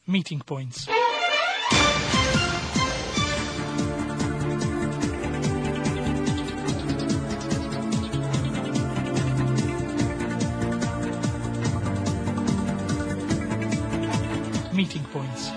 Meeting points. Meeting points.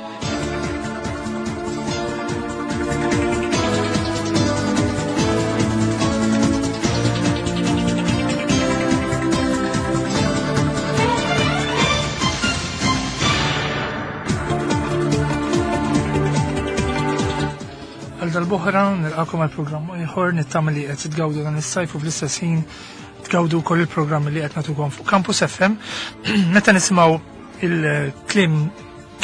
Għal dal-boħra nilqakom għal programm ieħor nittama li qed tgawdu dan is-sajf u fl-istess ħin tgawdu wkoll il-programm li qed nagħtukom fuq Campus FM. Meta nisimgħu il-klim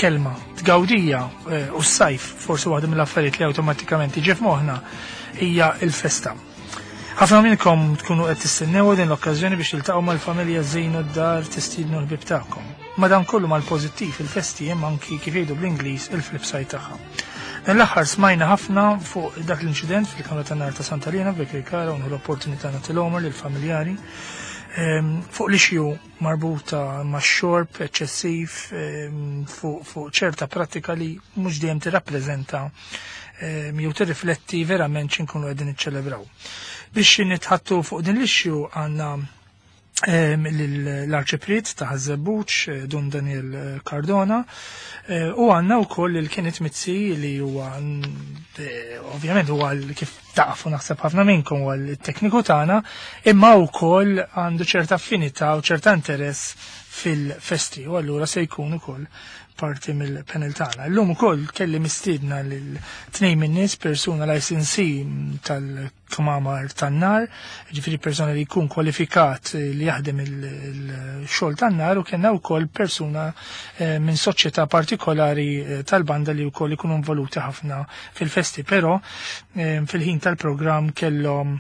kelma tgawdija eh, u s-sajf forsi waħda mill-affarijiet li awtomatikament tiġi f'moħħna hija l-festa. Ħafna minnkom tkunu qed tistennew din l-okkażjoni biex tiltaqgħu mal-familja żejnu d-dar tistiednu l-ħbieb tagħkom. Madankollu mal-pożittiv il-festi hemm anki kif jgħidu bl-Ingliż il-flip side tagħha. Dan l-aħħar smajna ħafna fuq dak l-inċident fil-Kamra tan-Nar ta' Santa Liena f'Birkirkara u l-opportunità nagħti l-omor lill-familjari ehm, fuq l-issue marbuta max-xorb eċċessiv ehm, fuq ċerta pratika li mhux dejjem tirrappreżenta ehm, jew tirrifletti verament x'inkunu qegħdin niċċelebraw. Biex nitħattu fuq din l-issue għandna ehm, l-arċipriet ta' Ħaż-Żebbuġ, eh, Dun Daniel eh, Cardona, eh, u għandna wkoll il-Kenneth Mizzi li huwa ovvjament huwa kif tafu naħseb ħafna minnkom huwa l-tekniku tagħna, imma wkoll għandu ċerta affinità u ċerta interess fil-festi u allura se jkun ukoll parti mill-panel tagħna. Illum ukoll kelli mistiedna lil tnejn min-nies persuna licensee tal-kmamar tan-nar, ġifieri persuna li jkun kwalifikat li jaħdem il-xogħol tan-nar u kellna wkoll persuna eh, minn soċjetà partikolari eh, tal-banda li wkoll ikunu involuti ħafna fil-festi, però fil-ħin tal-programm kellhom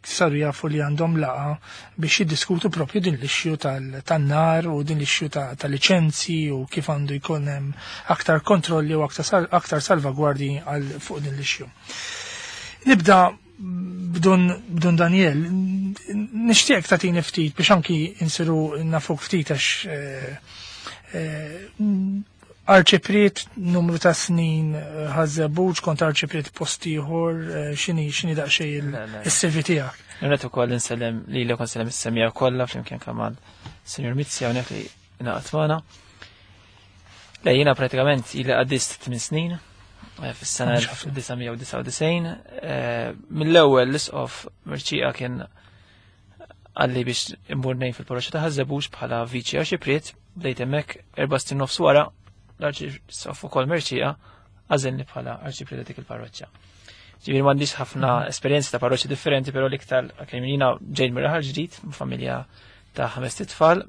saru jafu li għandhom laqa biex jiddiskutu propju din l-issue tan-nar u din l-issue ta' liċenzi u kif għandu jkun hemm aktar kontrolli u aktar salvagwardji għal fuq din l-issue. Nibda b'dun Daniel, nixtieq tagħtini ftit biex anki insiru nafuk ftit għax eh, eh, Arċipriet numru ta' snin eh, ħażebuġ kont arċipriet post ieħor eh, x'inhi x'inhi daqsxejn is-CV tiegħek. Nret ukoll insellem lilek u nsellem is-semija kollha flimkien kamal Sinjur Mizzi hawnhekk li ingħaqad magħna. Le jiena pratikament ili qaddist 8 snin eh, fis-sena 1999. Mill-ewwel l-isqof Mirċieqa kien għalli biex immur nejn fil-parroċċa ta' Ħaż-Żebbuġ bħala viċi arċipriet, bdejt hemmhekk erba' snin nofs wara l-arċisqof ukoll Merċieqa għażilni bħala arċipriet ta' dik il-parroċċa. Ġifieri m'għandix ħafna esperjenzi ta' parroċċi differenti, però l-iktar kemm jiena ġejt mir-raħal ġdid, familja ta' ħames tfal.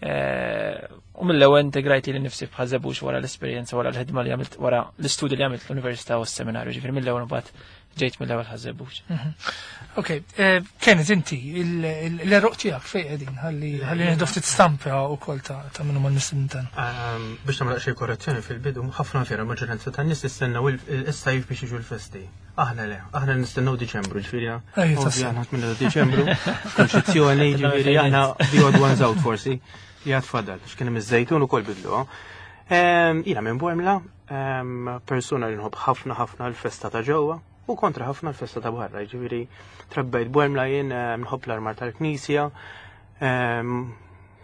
Eh, u mill-ewwel integrajt li nifsi bħal wara l-esperjenza wara l-ħidma li għamilt wara l-istudju li għamilt l-università u s-seminarju, ġifieri mill-ewwel mbagħad ġejt mill-ewwel ħażebux. Mhm. Ok, eh, Kenneth inti l-eruq tiegħek fejn qegħdin ħalli ħalli nieħdu ftit stampa wkoll ta' minnu mal-mistednin tagħna. Ehm, biex nagħmel xi korrezzjoni fil-bidu, ħafna vera maġġoranza tan-nies jistennew is-sajf biex jiġu l-festi. Aħna le, aħna nistennew Diċembru, ġifieri. Aħna minn Diċembru, konċezzjoni, ġifieri aħna the odd ones out forsi, li għad fadal, x'kien hemm iż-żejtun ukoll bidlu. Ehm, jiena minn Bormla, Persuna li nħobb ħafna ħafna l-festa ta' ġewwa u kontra ħafna l-festa ta' barra, ġifieri trabbejt Bormla jien nħobb l-armar tal-Knisja,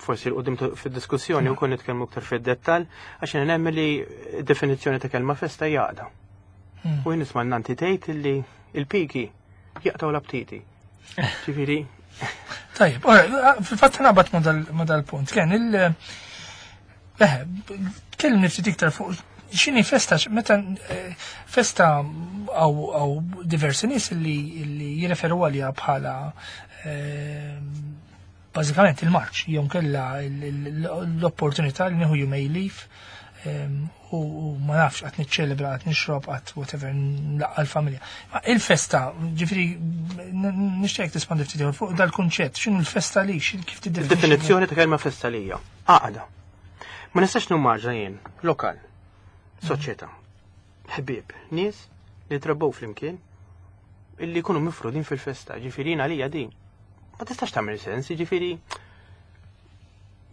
forsi l-qudiem fid-diskussjoni wkoll nitkellmu aktar fid-dettall, għax jiena nemmen li definizzjoni ta' kelma festa hija għaqda. Hmm. U jien nisma' nanti tgħid li il-piki jaqtgħu l-aptiti. Ġifieri. Tajjeb, fil-fatt naqbad ma' dal-punt. Ken il- Eħe, tkellimni ftit iktar fuq x'inhi festa, meta eh, festa għaw diversi nies li jirreferu għalija bħala eh, bażikament il-marċ, jew kella l-opportunità li nieħu jumej leave eh, u ma nafx qatt niċċelebra, qatt nixrob, qatt whatever, nlaqqa l-familja. Ma il-festa, ġifieri nixtieq tispandi ftit fuq dal-kunċett, x'inhu l-festa li, kif tiddefinixxi? Definizzjoni ta' kelma festa lija. Għaqda. Ma nistax nimmaġna jien lokal, soċjetà, ħbieb, nies li trabbew flimkien illi jkunu mifrudin fil-festa, ġifieri għalija din. Ma tistax tagħmel sens, ġifieri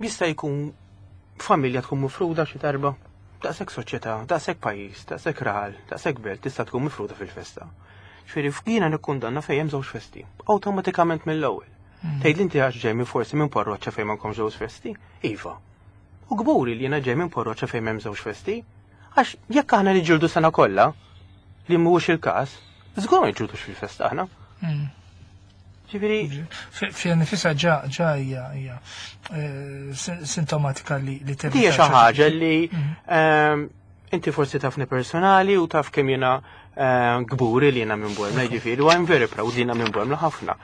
jista' jkun familja tkun mifruda xi darba. Daqshekk soċjetà, daqshekk pajjiż, daqshekk raħal, daqshekk belt tista' tkun mifruda fil-festa. Ġifieri jiena nikkundanna fejn hemm żewġ festi, awtomatikament mill-ewwel. Tgħid li inti għax ġej minn forsi minn parroċċa fejn m'għandkomx żewġ festi? Iva. U kburi li jiena ġej minn parroċċa fejn m'hemm żewġ festi. Għax jekk aħna niġġieldu sena kollha, li mhuwiex il-każ, żgur ma niġġieldux fil-festa aħna. Ġifieri Fiha nifisha ġa ġa hija hija sintomatika li li tevita Hija xi ħaġa li inti forsi tafni personali u taf kemm jiena kburi li jiena minn Bormla, ġifieri, u I'm very proud li jiena minn Bormla ħafna.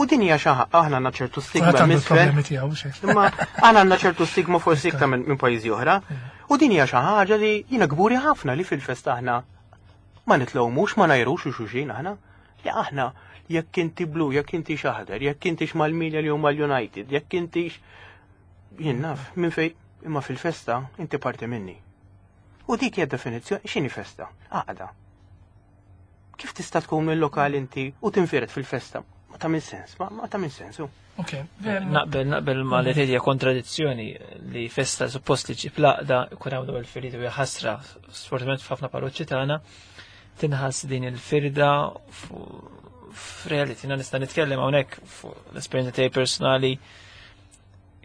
U din hija xi aħna għandna ċertu stigma Kulħadd għandu misfel. problemi tiegħu xejn. Imma aħna għandna ċertu stigma forsi iktar minn pajjiżi oħra. U din hija xi ħaġa li jiena kburi ħafna li fil-festa aħna ma nitlewmux, ma ngħajrux u xulxin aħna. Li aħna jekk inti blu, jekk inti xaħdar, jekk inti mal-Milja li huma l-United, jekk inti jien naf minn fejn imma fil-festa inti parti minni. U dik hija definizzjoni x'inhi festa? Għaqda. Kif tista' tkun mill-lokal inti u tinfired fil-festa? Ma tagħmel sens, ma tagħmel sensu. Ok. Naqbel ma li tgħid hija kontradizzjoni li festa suppost li ġib laqda ikun hawn dawn il-firdiet u hija ħasra sfortunatament f'ħafna parroċċi tagħna tinħass din il-firda f'reality. Jiena nista' nitkellem hawnhekk fuq l-esperjenza tiegħi personali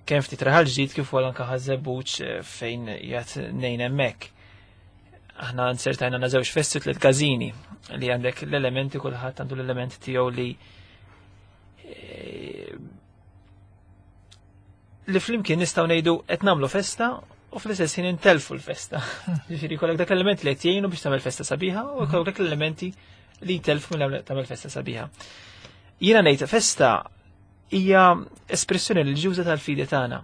kemm ftit raħal ġdid kif ukoll anke Ħaż-Żebbuġ fejn qiegħed ngħin hemmhekk. Aħna nsertajna għandna żewġ festi tliet każini li għandek l-elementi kulħadd għandu l-element tiegħu li li flimkien nistgħu ngħidu qed nagħmlu festa u fl-istess ħin intelfu l-festa. Ġifieri jkollok dak l-element li qed jgħinu biex tagħmel festa sabiħa u jkollok dak l-elementi li jtelfu minn tagħmel festa sabiħa. Jiena ngħid festa hija espressjoni reliġjuża tal-fidi tagħna,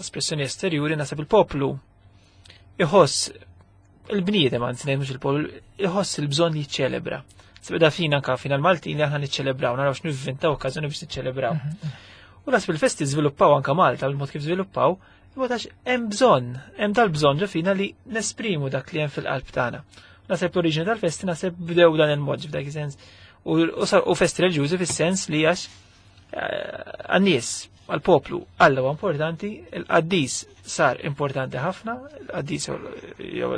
espressjoni esterjuri naħseb il-poplu iħoss il-bniedem anzi ngħid mhux il-poplu iħoss il-bżonn li jiċċelebra. Sebda fina anka fina l-Maltin li aħna niċċelebraw, naraw x'nivvintaw okkażjoni biex niċċelebraw. U naħseb il-festi żviluppaw anka Malta bil-mod kif żviluppaw, imma għax hemm bżonn, hemm dal-bżonn ġo fina li nesprimu dak li hemm fil-qalb tagħna. Naħseb l-oriġini tal-festi naħseb bdew dan il-mod f'dak is-sens. U festi reliġjużi fis-sens li għax għan-nies, għal-poplu, Alla huwa importanti, il-qaddis sar importanti ħafna, il-qaddis jew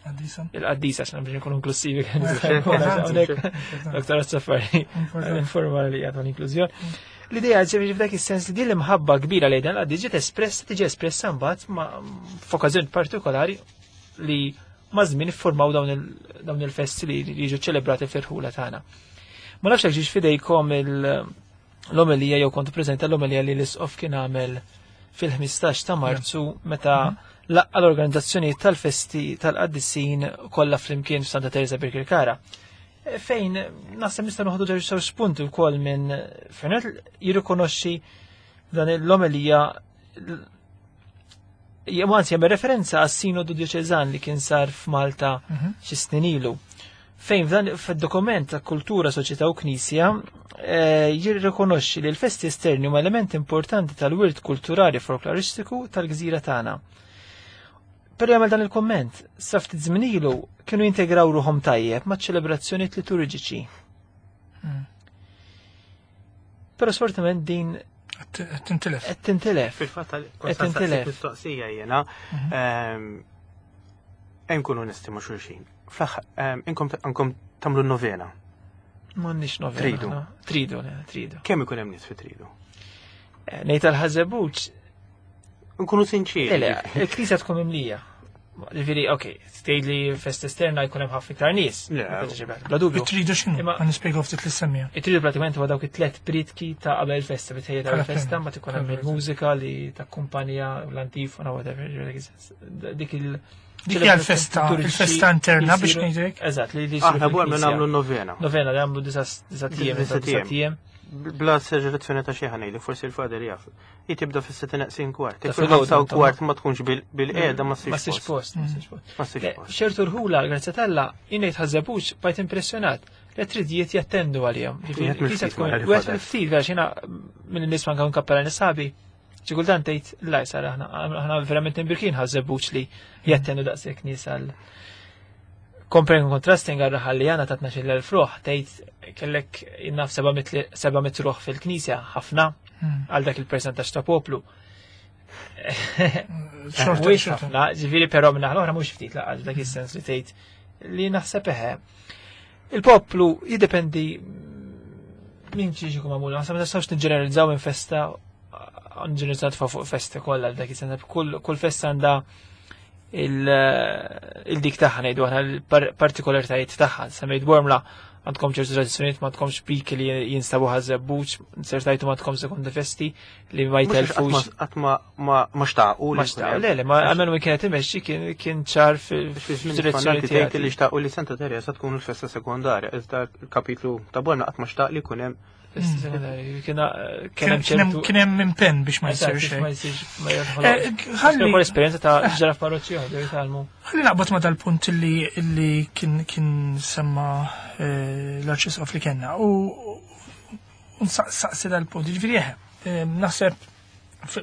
Qaddisa. il-qaddisa għax biex nkunu inklusivi Dr. Safari, informali li għadu l-inklużjoni. L-idea ġifieri f'dak is-sens li din l-imħabba kbira lejn dan il-qaddis ġiet espressa, tiġi espressa mbagħad ma' f'okkażjoni partikolari li ma' żmien iffurmaw dawn il-festi li jiġu ċelebrati fl-irħula tagħna. Ma nafx jekk ġiex fidejkom l-omelija jew kontu preżenti l-omelija li l-Isqof kien għamel fil-15 ta' Marzu meta laqqa l-organizzazzjoni tal-festi tal-qaddisin kollha flimkien f'Santa Teresa Birkirkara. Fejn naħseb nistgħu noħdu żewġ spunti wkoll minn fejn jirrikonoxxi dan l-omelija jew anzi jagħmel referenza għas-sinodu dioċeżan li kien sar f'Malta xi snin ilu. Fejn f'dan fid-dokument ta' kultura, soċjetà u knisja jirrikonoxxi li l-festi esterni huma element importanti tal-wirt kulturali folkloristiku tal-gżira tagħna. Però jagħmel dan il-komment, sa ftit żmien ilu kienu jintegraw ruħhom tajjeb maċ ċelebrazzjonijiet liturġiċi. Però sfortunatament din Qed tintilef. qed tintilef. Fil-fatt Qed tintilef. mistoqsija jiena hemm nkunu onesti ma' xulxin. Fl-aħħar inkom għandkom tagħmlu novena. M'għandniex novena. Tridu. aħna. Tridu, le, tridu. Kemm ikun hemm nies fi tridu? Ngħid għal-Ħaż-Żebbuġ, Nkunu sinċiri. Le, le, il-knisja tkun mimlija. Ġifieri, ok, tgħid li festa esterna jkun hemm ħafna iktar nies. Le. Bla dubju. Tridu x'inhu? Imma- Ħa nispjegaw ftit lis-semmiegħa. It-tridu pratikament huwa dawk it-tlet pritki ta' qabel festa, bitħejja ta' Bħala festa, premju. ma tkun hemm Bħala il-mużika li takkumpanja l-antifona, whatever, ġifieri, dik il- Dik hija l-festa, il-festa interna biex ngħidlek. Eżatt, li li jsiru Aħna Bormla fil-knisja. nagħmlu novena. Novena li għamlu disa tiem, Disa disa tiem. tiem. Bla esagerazzjoni ta' xi ħanejli, forsi il-fader jaf. Hi tibda fis-sitta neqsin kwart. Ta' Jekk filgħodu, fil-ħamsa u insomma. kwart ma tkunx bil-qiegħda ma Ma ssirx ssirx post. post, ma ssirx post. Ma ssirx Le, post. ċertu rħula, grazzi t'Alla, jien ngħid Ħaż-Żebbuġ bajt impressjonat li tridijiet jattendu għalihom. Ġifieri, Wieħed mill-ftit kisa tkun ma jgħid wieħed fader. mill-ftit, għax jiena minn nies ma nkun kappella nisabi. Xi kultant tgħid la sar aħna verament imbirkin Ħaż-Żebbuġ li jattendu daqshekk nies għal Comparing and contrasting għal raħal li għana ta' 12,000 ruħ, tgħid kellek innaf 700 ruħ fil-knisja, ħafna għal dak il-percentaġġ ta' poplu. Xorta, ħafna, ġifieri però minn l-oħra mhux ftit laqgħa dak is-sens li tgħid li naħseb eħe. Il-poplu jiddependi minn xiex ikun magħmul, naħseb ma nistgħux niġġeneralizzaw minn festa nġeneralizzaw tfa' fuq festa kollha dak is-sens kull festa għandha il-dik tagħha ngħidu aħna l-partikolaritajiet tagħha. Semmejt Bormla għandkom ċertu tradizzjonijiet ma tkomx piki li jinstabu ħażebbuġ, ċertajtu ma tkomx sekondi festi li ma jtelfux. Qatt ma xtaqu. Ma xtaqu, le, le, ma għamelu min kienet imexxi kien ċar fil-direzzjoni tiegħek li xtaqu li Santa Teresa tkun il-festa sekondarja, iżda l-kapitlu ta' Bormla qatt ma xtaq li jkun hemm festa sekondarja. Kien hemm impenn biex ma jsir xejn. Ma jsirx, ma jidħol. Ħalli esperjenza ta' ġara f'parroċċi oħra jitgħallmu. Ħalli naqbad ma dal-punt li kien semma l-Arċisqof li kellna u nsaqsi dal-punt. Ġifieri eħe, naħseb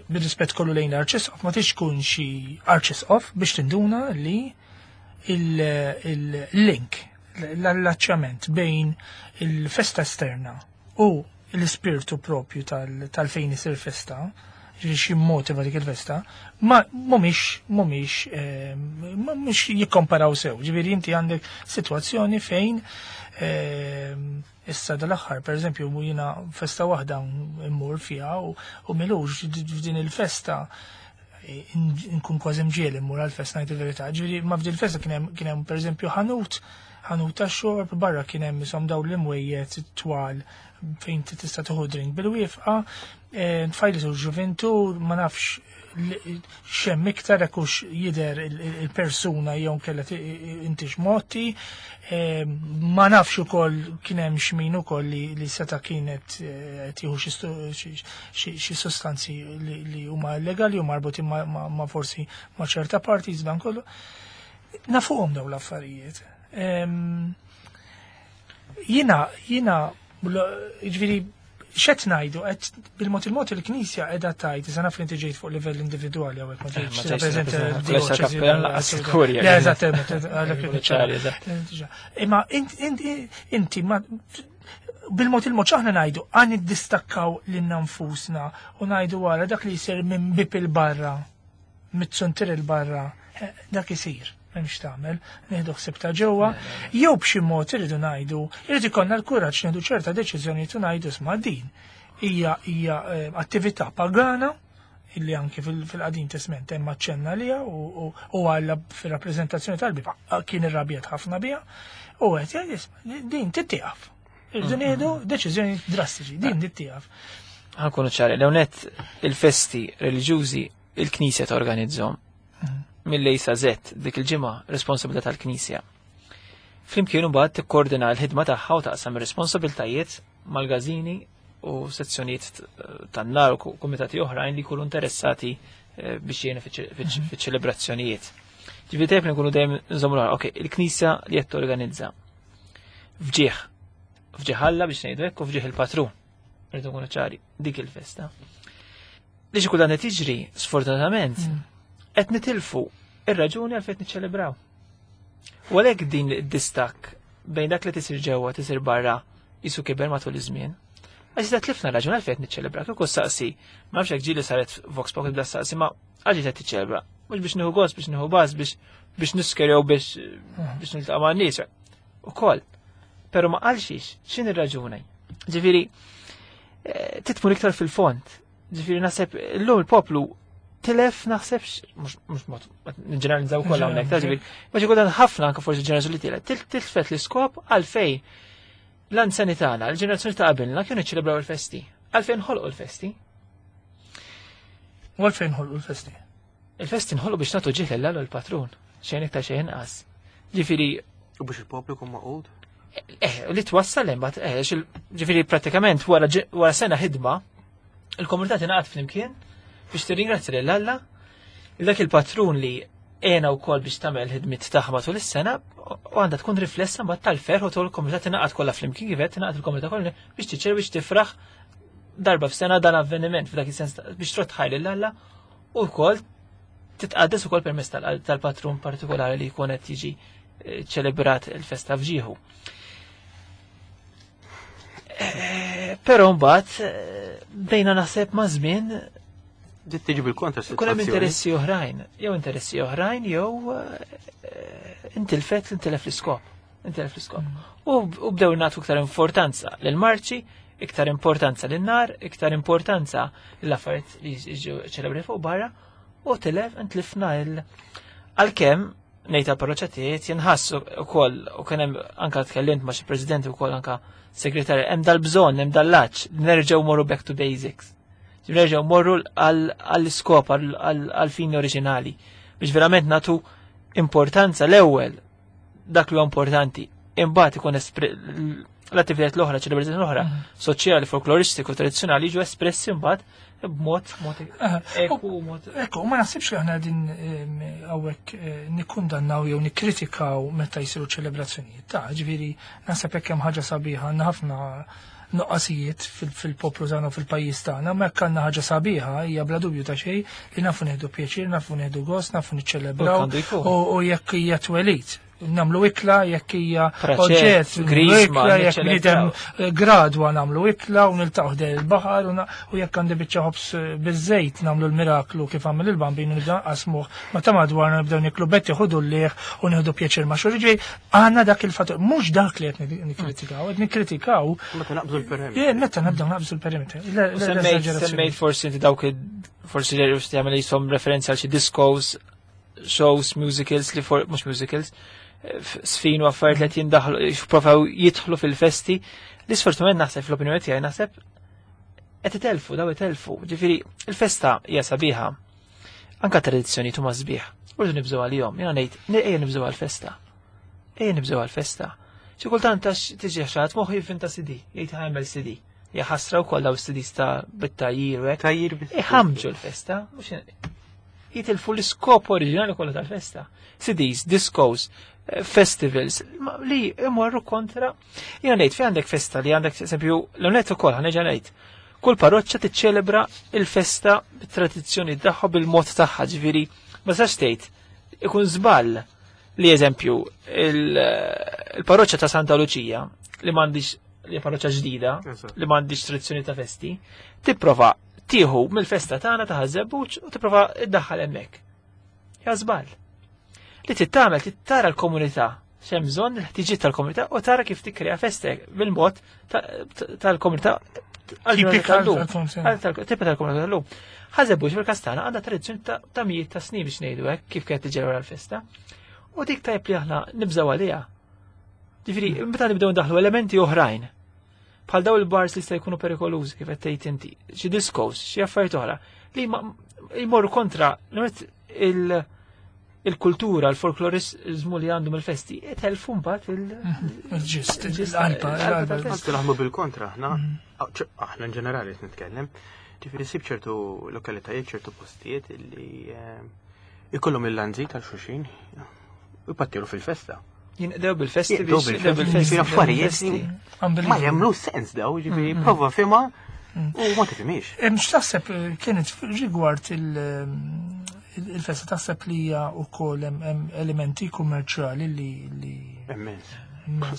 bir-rispett kollu lejn l-Arċisqof ma tix tkun xi Arċisqof biex tinduna li il-link, l-allaċċjament bejn il-festa esterna u l-ispirtu propju tal-fejn isir festa, ġifieri xi motiva dik il-festa, ma mhumiex jikkomparaw sew. Ġifieri inti għandek sitwazzjoni fejn issa dal-aħħar, pereżempju, jiena festa waħda mmur fiha u milux f'din il-festa nkun kważi mġiel immur għal-festa ngħid il-verità. Ġifieri ma f'din il-festa kien hemm pereżempju ħanut ta' xorb, barra kien hemm isom dawn l-imwejjed twal fejn tista' tieħu drink bil-wifqa, tfajli su ġuventur, ma nafx xemm iktar hekk hux jidher il-persuna jew kellha intix motti, ma nafx ukoll kien hemm x'min ukoll li seta' kienet tieħu xi sostanzi li huma illegali u marbutin ma' forsi ma' ċerta parti dan kollu. Nafuhom dawn l-affarijiet. Jiena, ġifieri, x'qed ngħidu, qed bil-mod il-mod il-Knisja qiegħda tgħid, issa naf li inti ġejt fuq livell individwali hawnhekk ma ġejtx tirrappreżenta d-dioċesi. Le, eżatt, għalhekk niċċara. Imma inti ma bil-mod il-mod x'aħna ngħidu, għan niddistakkaw lilna nfusna u ngħidu wara dak li jsir minn bib il-barra, mit-suntir il-barra, dak isir. M'hemmx tagħmel, nieħdu ħsieb ta' ġewwa, jew b'xi mod irridu ngħidu, irid ikollna l-kuraġġ nieħdu ċerta deċiżjonijiet u ngħidu isma' din hija attività pagana illi anki fil-Qadim Testament hemm aċċenna liha u Alla fir-rappreżentazzjoni tal-Bibja kien irrabjat ħafna biha u qed jgħid isma' din tittieqaf. Irridu nieħdu deċiżjoni drastiċi, din tittieqaf. Ħankunu ċari, l-ewnet il-festi reliġjużi il-Knisja torganizzhom. Mill-lejsa Z dik il-ġimgħa responsabilità tal-Knisja. Flimkien imbagħad tikkoordina l-ħidma tagħha u taqsam ir-responsabiltajiet mal-gażini u sezzjonijiet tan-nar u kumitati oħrajn li jkunu interessati biex jgħinu fiċ-ċelebrazzjonijiet. Ġifieri tajjeb li nkunu dejjem nżommu l ok, il-Knisja li qed torganizza. Fġieħ, fġieħ Alla biex ngħidu hekk u fġieħ il-patrun. Rridu nkunu ċari, dik il-festa. Li xi kultant qed jiġri, sfortunatament, qed nitilfu ir-raġuni għalfejn niċċelebraw. U għalhekk din id-distakk bejn dak li tisir ġewwa tisir barra jisu kiber matul iż-żmien. Għax iżda tlifna raġuni għalfejn qed niċċelebra. Kieku saqsi, ma nafx hekk ġieli saret Vox Populi bda saqsi, ma għaliex qed tiċċelebra. Mhux biex nieħu gost, biex nieħu baż, biex nisker jew biex niltaqa' ma' nies. Ukoll. Però ma qalxix, x'inhi r-raġuni? Ġifieri, titmur iktar fil-fond. Ġifieri naħseb illum il-poplu tilef naħseb mhux mod niġġeneralizzaw kollha hawnhekk, ta' ġifieri, ma xi kultant ħafna anke forsi ġenerazzjoni li tilef, tilfet l-iskop għalfejn l-anzjani tagħna, l-ġenerazzjoni ta' qabilna kienu jiċċelebraw il-festi. Għalfejn ħolqu l-festi? U għalfejn ħolqu l-festi? Il-festi nħolqu biex nagħtu ġieħ lil Alla l-patrun, xejn iktar xejn inqas. Ġifieri U biex il-poplu jkun maqud? Li twassal hemm bagħad, ġifieri prattikament wara sena ħidma, il-komunità tingħaqad flimkien biex tirringrazzja lil Alla, dak il-patrun li għena wkoll biex tagħmel ħidmiet tagħha matul is-sena u għandha tkun riflessa mbagħad tal-ferħ u tul il-komunità tingħaqad kollha flimkien kif qed tingħaqad il-komunità kollha biex tiċċer biex tifraħ darba f'sena dan avveniment f'dak is-sens biex trott ħaj lil Alla u wkoll titqaddes ukoll permezz tal-patrun partikolari li jkun qed jiġi ċelebrat il-festa f'ġieħu. Però mbagħad bdejna naħseb ma' żmien Ġiet tiġi bil-kontra Ikun hemm interessi oħrajn, jew interessi oħrajn jew intilfet intilef l-iskop. Intilef l-iskop. U bdew nagħtu iktar importanza lill-marċi, iktar importanza lin-nar, iktar importanza l-affarijiet li jiġu ċelebri fuq barra, u tilef intlifna il għalkemm ngħid għall-parroċċa tiegħi jinħass ukoll u kien hemm anke tkellimt ma' xi presidenti wkoll anke segretarju hemm dal-bżonn, hemm dal-laċ, nerġgħu morru back to basics. Nerġgħu morru għall-iskop, għall-fini oriġinali biex verament natu importanza l-ewwel dak li huwa importanti. Imbagħad ikun l-attivitajiet l-oħra, ċelebrazzjoni l-oħra, soċjali, folkloristiku, tradizzjonali jiġu espressi mbagħad b'mod mod eku, mod Ekku, ma naħsibx li aħna din hawnhekk nikkundannaw jew nikkritikaw meta jsiru ċelebrazzjonijiet. Ta' ġifieri naħseb hekk hemm ħaġa sabiħa, għandna ħafna nuqqasijiet fil-poplu tagħna u fil-pajjiż tagħna, ma jekk għandna ħaġa sabiħa hija bla dubju ta' xejn li nafu nieħdu pjaċir, nafu nieħdu gost, nafu niċċelebraw u jekk hija twelid namlu ikla, jekk hija oġġett, grisma, ikla, jekk bniedem gradwa namlu ikla u niltaqgħu ħdejn il-baħar u jekk għandi biċċa ħobż biż-żejt namlu l-miraklu kif għamel il-bambin u nibda nqasmuh ma ta' madwarna nibdew niklu betti ħudu l-lieħ u nieħdu pjaċir ma' xulxin. Għandna dak il-fattur, mhux dak li qed nikkritikaw, qed nikkritikaw. Meta naqbżu l-perimetru. Meta nibdew naqbżu l-perimetru. Semmejt forsi inti dawk forsi li jagħmel jisom referenza għal xi discos, shows, musicals li for mhux musicals, sfin u affarijiet li qed jindaħlu jipprovaw jidħlu fil-festi, li sfortunatament naħseb fl-opinjoni tiegħi naħseb qed itelfu daw itelfu. Ġifieri il-festa hija sabiħa. Anka tradizzjoni huma sbieħ. Urdu nibżgħu għalihom, jiena ngħid ejja nibżgħu għall-festa. Ejja nibżgħu għall-festa. Xi kultant għax tiġi xi moħħu jivvinta CD, jgħid ħajmel CD. Ja ħasra wkoll daw CDs ta' bit-tajjir u hekk. Tajjir bit Iħamġu l-festa, mhux jitilfu l-iskop oriġinali kollha tal-festa. CDs, discos, festivals, li imorru kontra. Jiena ngħid fi għandek festa li għandek eżempju l-onet ukoll ħaneġa ngħid. Kull parroċċa tiċċelebra il-festa bit-tradizzjoni tagħha bil-mod tagħha, ġifieri ma sax tgħid ikun żball li eżempju il-parroċċa ta' Santa Luċija li m'għandix li parroċċa ġdida li m'għandix tradizzjoni ta' festi, tipprova tieħu mill-festa tagħna ta' Ħaż-Żebbuġ u tipprova iddaħħal hemmhekk. Ja żball. Li tittamel tittara l-komunità x'hemm bżonn il-ħtiġiet tal-komunità u tara kif tikkrea festa bil-mod tal-komunità Tipika Tipika tal-komunità tal-lum. Ħaż-Żebbuġ fil-Kastana għandha tradizzjoni ta' mijiet ta' snin biex ngħidu hekk kif kienet tiġi l-festa. U dik tajb li aħna nibżgħu għaliha. Ġifieri, meta nibdew ndaħlu elementi oħrajn bħal daw il-bars li sta jkunu perikolużi kif qed tgħid inti, xi discos, xi affarijiet oħra li jmorru kontra il-kultura, il-folklorizmu li għandhom il-festi, itelfu mbagħad il-ġist, il-qalba. Anzi naħmu bil-kontra, aħna aħna in ġenerali qed nitkellem. Ġifieri sib ċertu lokalitajiet, ċertu postijiet li ikollhom il-lanzi tal-xuxin u jpattiru fil-festa. Jinqdew bil-festi biex bil-festi. Affarijiet ma jagħmlu sens daw, ġifieri prova fima u ma tifhimix. X'taħseb kienet rigward il-festa taħseb li hija wkoll hemm elementi kummerċjali li Immens.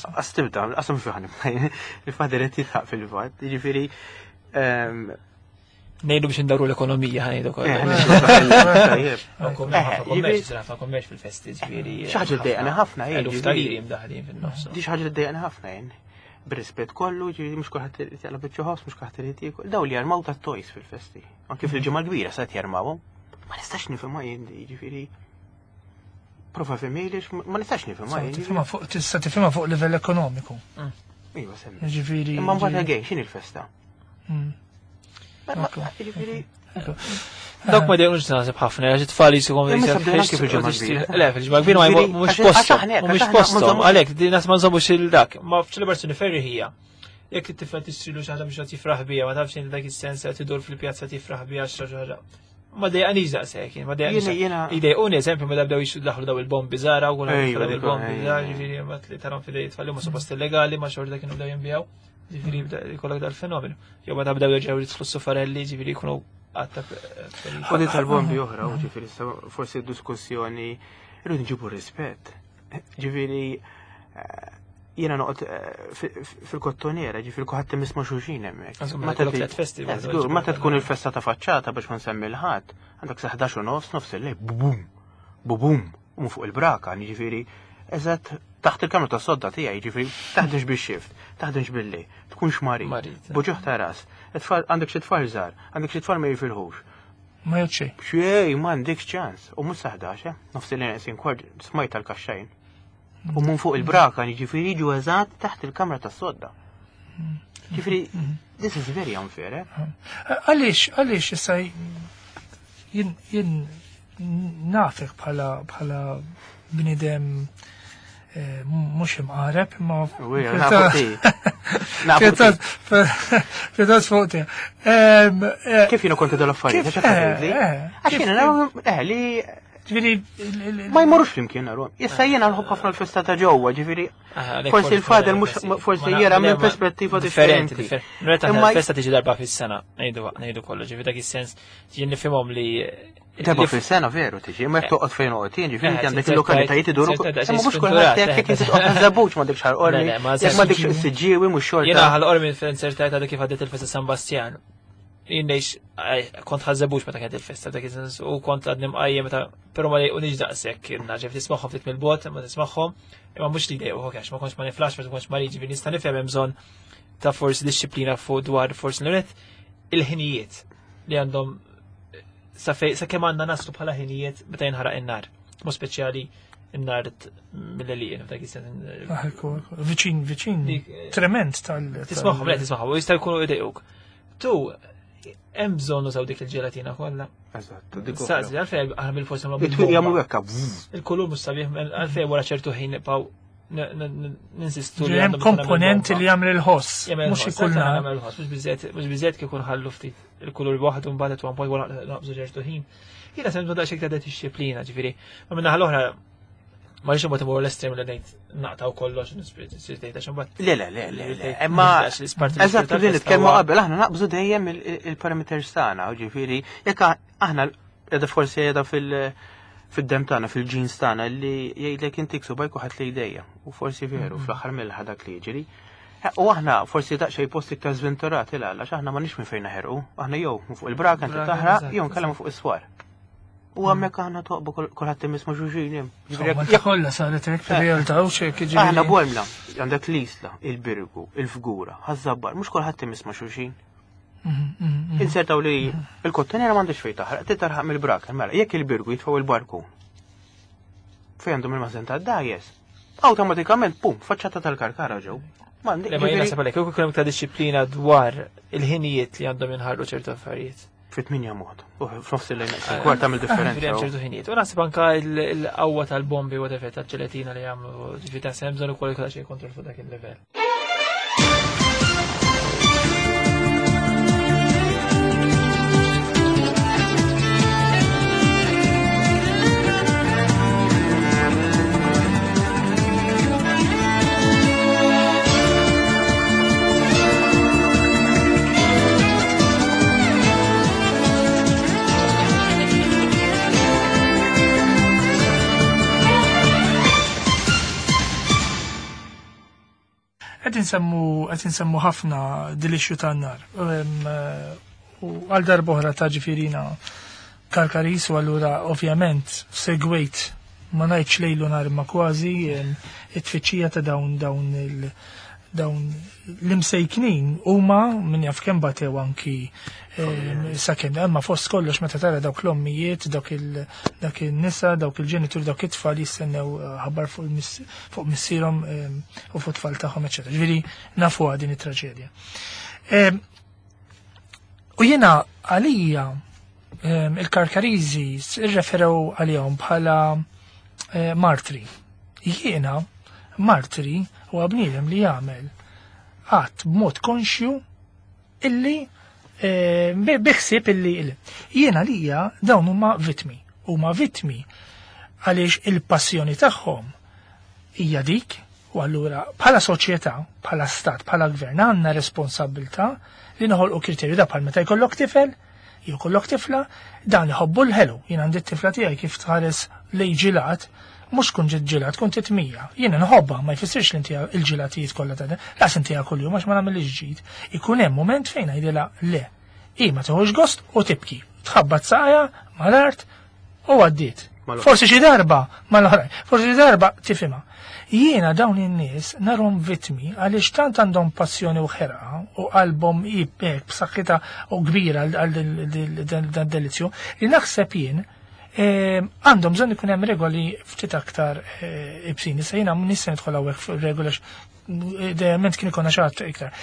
Qas tibda, qasam fi ħanib. Il-fader qed jitħaq fil-fatt, jiġifieri Nejdu biex ndawru l-ekonomija ħanejdu kollha. Kommerċ fil-festi, ġifieri. Xi ħaġa ddejqani ħafna jien. Eluf ta' liri mdaħlin fin-nofs. Di xi ħaġa ddejqani ħafna jien. Bir-rispett kollu, ġifieri mhux kulħadd irid jaqla' biċċa ħoss, mhux kulħadd irid jiekol. Daw li jarmaw ta' toys fil-festi. Anke fil-ġimgħa kbira se jarmawhom. Ma nistax nifhimha jien ġifieri. Prova fimili, ma nistax nifhimha jien. Tifhimha fuq tista' tifhimha fuq livell ekonomiku. Iva semmi. Ġifieri. Imma mbagħad again x'inhi l-festa? Ġifieri Dawk ma dejqux naħseb ħafna, għax it-tfal jisikom Le, fil-ġimgħa kbira ma mhux postom, mhux postom, għalhekk di nas ma nżommux il-dak, ma f'ċelebrazzjoni ferri hija. Jekk it-tifel tixtrilu xi ħaġa biex tifraħ bija, ma tafx inti dak is-sens qed idur fil-pjazza tifraħ bija xi ħaġa. Ma dejqanix daqshekk, ma dejqanix. Idejquni eżempju meta bdew daħlu daw il-bombi żgħar u il-bombi żgħar, ġifieri ma li tarhom fil tfal huma suppost illegali, ma xorta kienu bdew jinbijaw. Ġifieri jkollok dal-fenomenu. Jew meta bdew jerġgħu jidħlu s-sufarelli, ġifieri jkunu għatta. U di tal-bombi oħra, u ġifieri forsi diskussjoni irridu nġibu rispett. Ġifieri Jiena noqgħod fil-Kottonera, ġifieri kulħadd imisma' xulxin hemmhekk. Meta tkun il-festa ta' faċċata biex ma nsemmi l-ħadd, għandek sa 11 u nofs, nofs il-lejl, bubum, bubum, u fuq il-braka, ġifieri eżatt taħt il-kamra tas sodda tiegħi, ġifieri taħdimx bix-xift, taħdimx billi, tkunx marid, buġuħ ta' ras, għandek xi tfal żgħar, għandek xi tfal ma jifilħux. Ma jgħod xejn. M'għandekx ċans. U mhux sa 11, nofs il-lejl neqsin kwart smajt tal-kaxxajn. U mun fuq il-braka, ġifieri jiġu eżatt taħt il-kamra tas-sodda. Ġifieri, this is very unfair, eh? Għaliex issa jien nafek bħala bniedem mhux imqareb, imma pjuttost fuq tiegħek. Kif jiena konti dal-affarijiet? Għax jiena li Ġifieri ma jmorrux flimkien naru. Issa jiena nħobb ħafna l-festa ta' ġewwa, ġifieri forsi l-fader mhux forsi jera minn perspettiva differenti. Imma l-festa tiġi darba fis-sena, ngħidu kollu, ġifieri dak is-sens jien nifhimhom li Darba fis-sena veru tiġi, imma jekk toqgħod fejn oqgħod jien, ġifieri inti għandek il-lokalitajiet iduru. Imma mhux kulħadd hekk jekk inti toqgħod żabuġ m'għandekx ħarqormi, jekk m'għandekx is-siġġiewi mhux xorta. Jiena ħal-qormi fl-insertajt għadha kif għaddiet il-festa San Bastjan. Jien ngħix kont ħażebux meta kienet il-festa dak is-sens u kont għadni mqajjem meta però ma jqunix daqshekk naġeb tismagħhom ftit mill-bogħod imma tismagħhom imma mhux li jdejqu għax ma kontx ma niflax ma kontx ma ġifieri nista' nifhem hemm bżonn ta' forsi disċiplina fuq dwar forsi l il-ħinijiet li għandhom sa kemm għandna naslu bħala ħinijiet meta jinħaraq in-nar. Mod speċjali in-nar mill-għelieqen f'dak is-sens. Viċin, viċin, trement tal. Tismagħhom, le tismagħhom, u jista' jkunu jdejquk. Tu, hemm bżonn użaw dik il-ġelatina kollha. Eżatt. Saqsi, għalfejn aħna bil-forsi nagħmlu. Jagħmlu hekk. Il-kulur mhux sabiħ għalfejn wara ċertu ħin nibqgħu ninsistu li hemm komponenti li jagħmel il-ħoss. Mhux ikun jagħmel il-ħoss, mhux biżejjed kif ħallu ftit il-kulur waħdu mbagħad at one point wara naqbżu ċertu ħin. Jiena se nbda xejn ta' disċiplina, ġifieri. Ma minnaħa l-oħra ma rridx imbagħad imur l-estrem li ngħid naqtaw kollox nispirit għax imbagħad. Le le le le. Imma eżatt li nitkellmu qabel aħna naqbżu dejjem il-parameters tagħna, ġifieri jekk aħna qiegħda forsi qiegħda fil-dem tagħna, fil-ġins tagħna li jgħidlek inti ksubajk u ħadd li jdejja. U forsi veru fl-aħħar mill dak li jiġri. U aħna forsi daqsxejn post iktar żventurati l għax aħna m'għandniex minn fejn naħerqu. Aħna jew fuq il-braka inti taħraq jew nkellem fuq is-swar. U hemmhekk aħna toqbu kulħadd imiss ma' xulxin. Malta kollha saret hekk fir-realtà u xejn jiġifieri. Aħna Bormla, għandek l-Isla, il-Birgu, il-Fgura, Ħaż-Żabbar, mhux kulħadd imiss ma' xulxin. Insertaw li il-kottonera m'għandux fejn taħraq, trid tarħaq mill-brak, mela jekk il-Birgu jitfgħu il-barku fejn għandhom il-mażen tad-dajes, awtomatikament pum, faċċata tal-karkara ġew. Ma jiena naħseb għalhekk, jekk ikun hemm disċiplina dwar il-ħinijiet li għandhom jinħarqu ċertu affarijiet. Fit-8 mod. U f'nofs il-lejn kwart tagħmel differenza. Hemm ċertu ħinijiet. U naħseb anka l-qawwa tal-bombi u effett tal-ġelatina li jagħmlu, ġifieri ta' hemm bżonn ukoll jkollha xi kontroll fuq dak il-livell. Qed insemmu ħafna dilixxju tan-nar. U għal darb'oħra ta' ġifirina Karkaris u allura ovvjament segwejt ma ngħidx lejlu nar imma kważi it-tfittxija ta' dawn dawn il dawn l-imsejknin huma min jaf kemm batew anki sakemm imma fost kollox meta tara dawk l-ommijiet, dawk in-nisa, dawk il-ġenituri, dawk it-tfal jistennew ħabar fuq missierhom u fuq tfal tagħhom, eċetera. Ġifieri nafuha din it-traġedja. U jiena għalija il-Karkariżi irreferew għalihom bħala martri. Jiena martri huwa bniedem li jagħmel att b'mod konxju illi biħsieb illi jiena lija dawn huma vittmi. Huma vittmi għaliex il-passjoni tagħhom hija dik u allura bħala soċjetà, bħala stat, bħala gvern għandna responsabbiltà li noħolqu kriterju da bħal meta jkollok tifel, jew kollok tifla, dan iħobbu l-ħelu. Jien għandi t-tifla tiegħi kif tħares lejn ġilat, Mhux tkun ġiet ġilha, tkun titmija. Jiena nħobbha, ma jfissirx li ntiha il-ġilatijiet kollha ta' laqas intiha kuljum għax ma nagħmilx ġid. Ikun hemm mument fejn ngħidilha le. Hi ma tieħux gost u tibki. Tħabbat saqajha mal-art u għaddiet. Forsi xi darba mal-oħrajn, forsi xi darba tifhimha. Jiena dawn in-nies narhom vittmi għaliex tant għandhom passjoni u ħerqa u qalbhom hi hekk b'saħħitha u kbira għal dan delizzju li naħseb jien għandhom bżonn ikun hemm regoli ftit aktar ibsin. Issa jiena m'iniex se nidħol hawnhekk fuq regoli għax idealment kien ikonna xi ħadd iktar.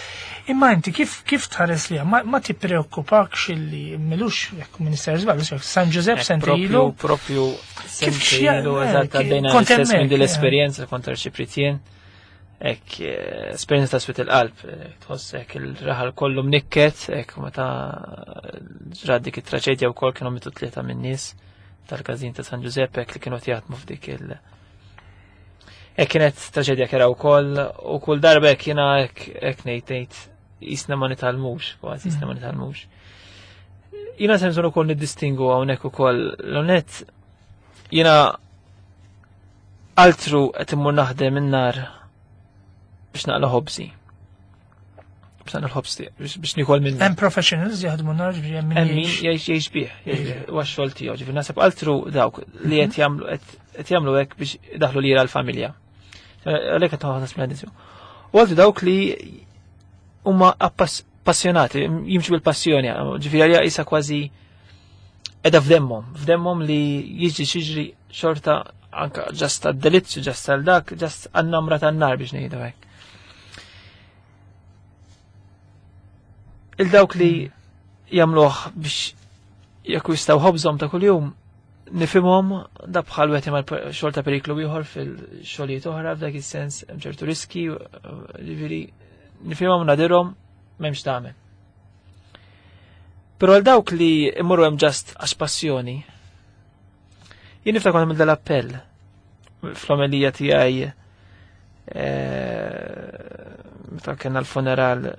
Imma inti kif kif tħares li ma, ma tippreokkupakx illi milux jekk Minister żball, San Ġużepp sentilu. Propju sentilu eżatt għaddejna l-istess minn din l-esperjenza kontra ċipritien. Ek esperjenza ta' swit il-qalb, tħoss hekk il-raħal kollu mnikket, hekk meta ġrat dik it-traċedja wkoll kienu mitu tlieta min-nies tal-każin ta' San Ġużepp hekk li kienu jaħdmu f'dik il- Hekk kienet traġedja kera wkoll u kull darba hekk jiena hekk ngħid ngħid jisna ma nitalmux, kważi jisna ma nitalmux. Jiena se bżonn ukoll niddistingu hawnhekk ukoll l-onet jiena altru qed immur naħdem in-nar biex naqla ħobżi. Biex naqla l-ħobż biex nikol minn. Hemm professionals jaħdmu nar ġifieri hemm min jgħix jgħix bih, huwa x-xogħol tiegħu, ġifieri naħseb altru dawk li qed jagħmlu qed jagħmlu hekk biex idaħħlu lira l-familja. Għalhekk qed noħodha smedizju. U għaltu dawk li huma passjonati, jimxu bil-passjoni, ġifieri għalija qisha kważi edha f'demmhom, f'demmhom li jiġri xiġri xorta anka ġast għad-delizzju, ġast għal dak, ġast għan-namra tan-nar biex ngħidu hekk. Il-dawk li jagħmluh biex jakkwistaw ħobżhom ta' kuljum, nifhimhom da bħal wieħed jagħmel xogħol ta' periklu ieħor fil-xogħlijiet oħra f'dak is-sens hemm ċertu riski, ġifieri nifhimhom nadirhom m'hemmx tagħmel. Però għal dawk li imorru hemm ġast għax passjoni, jien niftakar għamil dal-appell fl-omelija tiegħi meta kellna l-funeral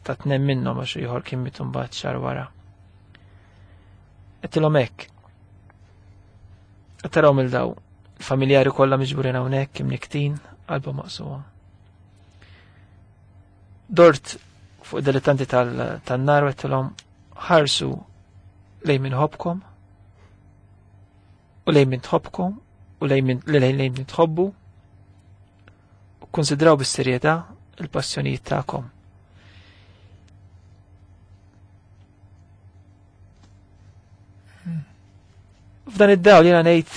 ta' tnejn minnhom għax ieħor kien miet imbagħad xahar wara. Qedtilhom hekk. Qed taraw mill daw il-familjari kollha miġburin hawnhekk imniktin qalbhom maqsuma. Dort fuq dilettanti tan-nar u għedtilhom ħarsu lejn min ħobkom u lejn min tħobbkom u lejn min lejn min tħobbu u konsidraw bis-serjetà il-passjonijiet tagħkom. F'dan id-dawl jiena ngħid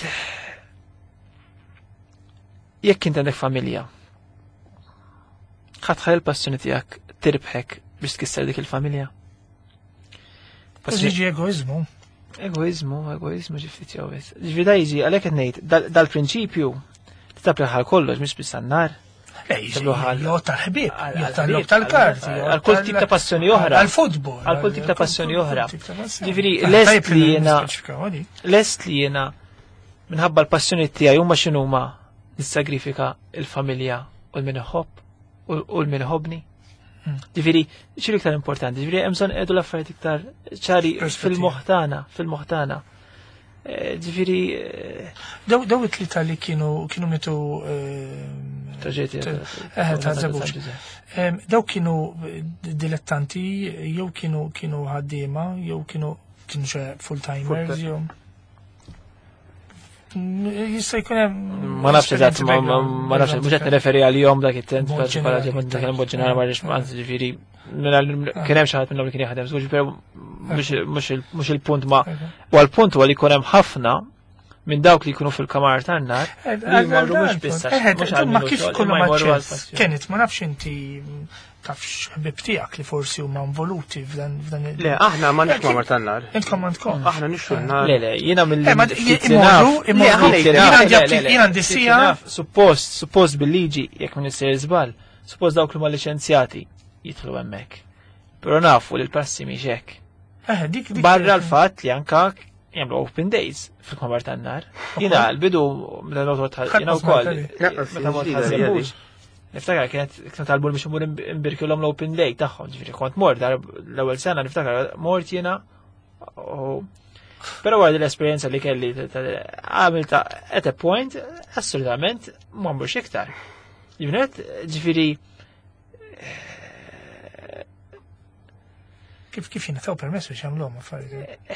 jekk int għandek familja, ħadd ħalli l-passjoni tiegħek tirbħek biex tkisser dik il-familja. Jiġi egoizmu. Egoizmu, egoizmu ġiftit jew wis. Ġifieri da jiġi għalhekk qed ngħid dal-prinċipju titapplika għal kollox mhux biss għan-nar. Le, jiġi jgħod tal-ħbieb, jgħod tal-logħob tal-karti, għal kull tip ta' passjoni oħra. Għal-futbol. Għal kull tip ta' passjoni oħra. Ġifieri lest li jiena lest li jiena minħabba l-passjoni tiegħi huma x'inhuma nissagrifika il-familja u l-min iħobb u l-min iħobbni. Ġifieri, xi iktar importanti, ġifieri hemm bżonn qegħdu l-affarijiet iktar ċari fil-moħħ tagħna, fil-moħħ tagħna. Ġifieri, Daw it-tlieta li kienu mitu, Traġedja ta' ta' Żebbuġ. San Ġużepp. Daw kienu dilettanti, jew kienu ħaddiema, jew kienu xi full-timers, jew Jista' jkun hemm Ma nafx eżatt, ma nafx, mhux qed nirreferi għalihom dak it-tent, Mod partikolari, ġenerali, mod ġenerali, mod ġenerali, ma rridx, anzi, ġifieri, kien hemm xi ħadd minnhom li kien jaħdem, żgur, però mhux il-punt ma u għall-punt huwa li jkun hemm ħafna minn dawk li jkunu fil-kamar tan-nar, li jmorru mhux biss għax mhux għal Ma minnu kif xogħol, kollu imma jmorru għal aċċess? passjoni. Kenneth, ma nafx inti tafx ħbib tiegħek li forsi huma involuti f'dan il- Le, aħna ma nix kamar tan-nar. Intkom għandkom. Aħna nixtru n-nar. Le, le, jiena mill- Ma ftit li imorru, naf. imorru. Le, aħna Ftit li Jien naf, għandi le, le, le, jien għandi ftit li sija. naf, suppost bil-liġi, jekk ma nisir żball, suppost dawk li huma liċenzjati jidħlu hemmhekk. Però nafu li l-prassi mhix hekk. Dik Barra l-fatt li anka jagħmlu open days fil-kamar tan-nar. Jiena l-bidu meta mort Ħadd jiena ma wkoll, smajt għalih. Naqas meta mort ġdida ħażebux. hija dik. Niftakar kienet talbu biex imur imbirkilhom l-open day tagħhom, ġifieri kont mort dar l-ewwel sena niftakar mort jiena u Però wara l-esperjenza li kelli għamilta at a point, assolutament ma mmurx iktar. Ġifieri, ġifieri Kif jingħataw permess biex jagħmluhom affarijiet?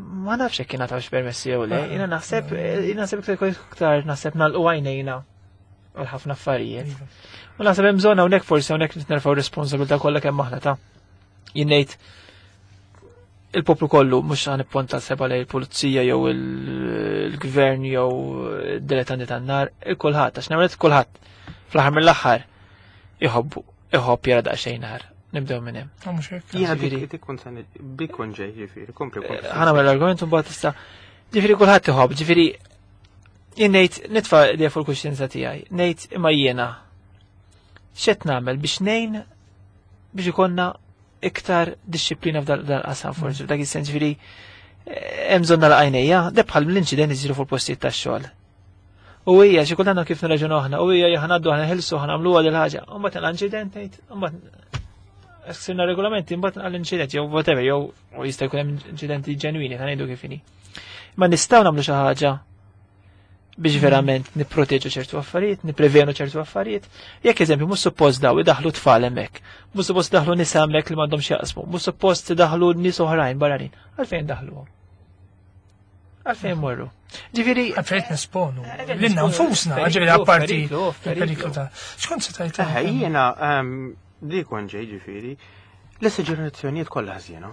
Ma nafx jekk jingħatawx permessi jew le, jiena naħseb jiena naħseb iktar iktar naħseb nagħlqu għajnejna għal ħafna affarijiet. Iva. U naħseb hemm bżonn hawnhekk forsi hawnhekk nitnerfgħu responsabilità kollha kemm aħna ta' jien ngħid il-poplu kollu mhux ħa nipponta seba lejn il-pulizija jew il-gvern jew id-dilettanti tan-nar, il-kulħadd għax nagħmel kulħadd fl-aħħar mill-aħħar iħobbu iħobb jara daqsxejn nar. Nibdew minn hemm. Ah, mhux hekk. Jiena Ġifieri- dik dik kont se bik kont ġej, ġifieri, kompli kompli. ħana mill argument un tista' ġifieri kulħadd iħobb, ġifieri jien ngħid nitfa' idea fuq il-kuxjenza tiegħi, ngħid imma jiena x'qed nagħmel biex ngħin biex ikollna iktar disċiplina f'dan qasam forsi, f'dak is-sens ġifieri hemm bżonn nagħlaq għajnejja, de bħal l-inċident isiru fuq postijiet tax-xogħol. U hija xi kultant kif nirraġunaw aħna, u hija ħanaddu aħna ħilsu ħanagħmluha dil ħaġa, u mbagħad l-inċident ngħid, u mbagħad sirna regolamenti mbagħad għall-inċident jew whatever jew u jista' jkun hemm inċidenti ġenwini ta' ngħidu kif inhi. Ma nistgħu nagħmlu xi ħaġa biex verament nipproteġu ċertu affarijiet, nipprevenu ċertu affarijiet. Jekk eżempju mhux suppost daw idaħlu tfal hemmhekk, mhux suppost daħlu nisa hemmhekk li m'għandhomx jaqsmu, mhux suppost idaħlu nies oħrajn barranin. Għalfejn daħluhom? Għalfejn morru? Ġifieri Għalfejn nesponu. Għalfejn Lilna nesponu, nfusna, periklu, ġifieri apparti periklu, il-periklu periklu. ta' Xkont se tajt? Jiena li kont ġej, ġifieri, l-esagerazzjonijiet kollha ħżiena.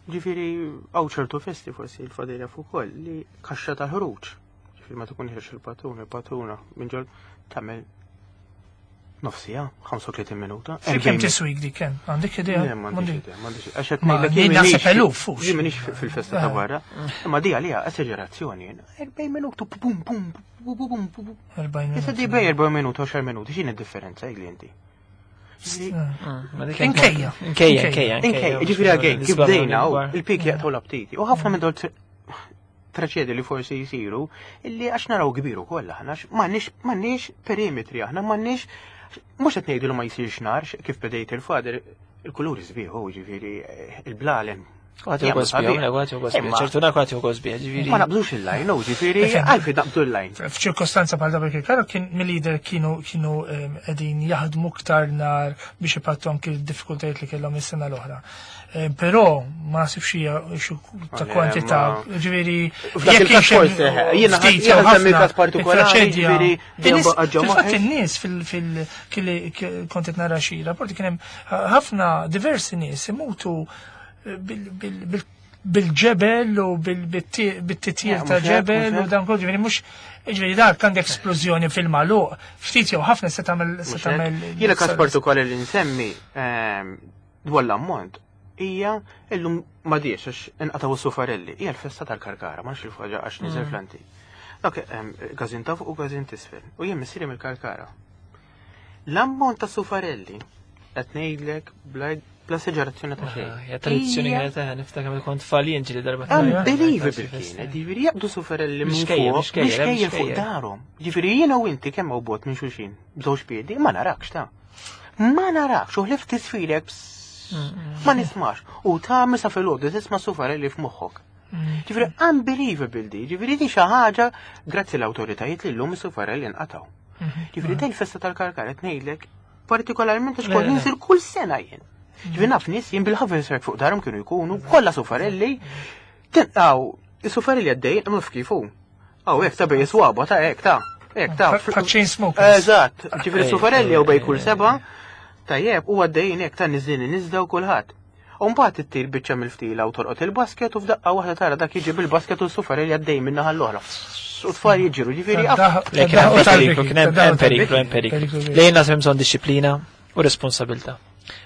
Ġifieri hawn ċertu festi forsi l-fadilja fuq ukoll li kaxxa ta' ħruġ. Ġifieri ma tkun ħirx il-patrun, il-patruna minn ġol tagħmel nofsija, 35 minuta. Fi kemm tiswik dik kemm? Għandek idea? Le, m'għandix idea, m'għandix idea. Għax qed Ma, ngħidlek jien jien naħseb m'iniex- eluf, fux. Jien m'iniex fil-festa ta' Eh. barra. Imma di għalija esagerazzjoni. 40 minutu, pum pum pum pum pum. 40 Issa di minuti. bej 40 minuta, 10 minuti, x'inhi d-differenza jgħidli inti? Inkejja. Inkejja, inkejja, Inkej, ġifieri għagejn, kif bdejna u il-pik jaqtaw l-aptiti. U ħafna minn dol traċedi li forsi jisiru, illi għax naraw kbiru kollha aħna, għax m'għandniex perimetri aħna, m'għandniex mhux qed ngħidu li ma jsirx nar, kif bdejt il-fader, il-kuluri sbieħ, u ġifieri il-blalen. Għati u għosbieħ, għati u għosbieħ, ċertu nar għati u għosbieħ, ġifieri. Ma naqbdux il-lajn, u ġifieri, Ifhem. għalfejn naqbdu l-lajn. F'ċirkostanza bħal dak il-karo kien mill-lider kienu qegħdin jaħdmu ktar nar biex ipattu anki d-diffikultajiet li kellhom is-sena l-oħra. Però ma nasibx hija xi ta' Le, kwantità, ma- ġifieri F'dak jekk il-każ kienx hemm forsi, jiena ftit jiena jew nsemmi ħafna, każ partikolari, it-traċedja. ġifieri, dejjem In-nies- baqa' ġo Fil-fatt moħħi. in-nies fil kili kont qed nara xi rapporti kien hemm ħafna diversi nies imutu bil-ġebel u bil-titjir Eh, ta' mhux hekk, ġebel mhux u hekk. dan kollu ġifieri mhux ġifieri dak għandek esplużjoni fil-magħluq, ftit jew ħafna se tagħmel se Mhux hekk? tagħmel Jiena każ partikolari li nsemmi dwar l-ammont hija illum ma diex għax inqataw is-sufarelli, hija l-festa tal-Karkara, ma nafx il-faġa għax niżel fl-antik. Dak każin ta' fuq u każin t'isfel. U jien missieri mill-Karkara. L-ammont ta' sufarelli qed ngħidlek bla esagerazzjoni ta' xejn. Ja, tradizzjoni Hija kienet eh, niftakar meta kont tfal jien ġieli darba. Unbelievable kienet, ġifieri jaqbdu sufarelli minn Mixkejjer, fuq, mixkejjer, mixkejjer fuq mixkejjer. darhom. Ġifieri jiena u inti kemm hawn bot minn xulxin, b'żewġ piedi, ma narakx ta' Ma narakx, u ħlift tisfilek ma nismax. U ta' misa fil-għodu tisma' sufarelli f'moħħok. Ġifieri unbelievable di, ġifieri di xi ħaġa grazzi l-awtoritajiet li llum is-sufarelli nqataw. Ġifieri dej il-festa tal-Karkara qed ngħidlek partikolarment għax Le, kont le. ninżel kull sena jien. Ġifieri naf nies jien bil-ħaverserk fuq darhom kienu jkunu kollha sufarelli. Tinqaw, is-sufarelli għaddejjin naf kif hu. Aw hekk ta' bej swaba ta' hekk ta' hekk ta' Fa' chain smokers. Eżatt, ġifieri Ej, sufarelli jew bej kull ej, seba' tajjeb u għaddejjin hekk ta' niżlin niżda u kulħadd. U mbagħad ittir biċċa mill-ftila u torqod il-basket u f'daqqa waħda tara dak jiġi bil-basket u s-sufarelli għaddej minn naħa l-oħra. U tfal jiġru, ġifieri Le, kien hemm periklu, kien hemm periklu, hemm periklu. Le jien naħseb hemm bżonn disċiplina u responsabilità.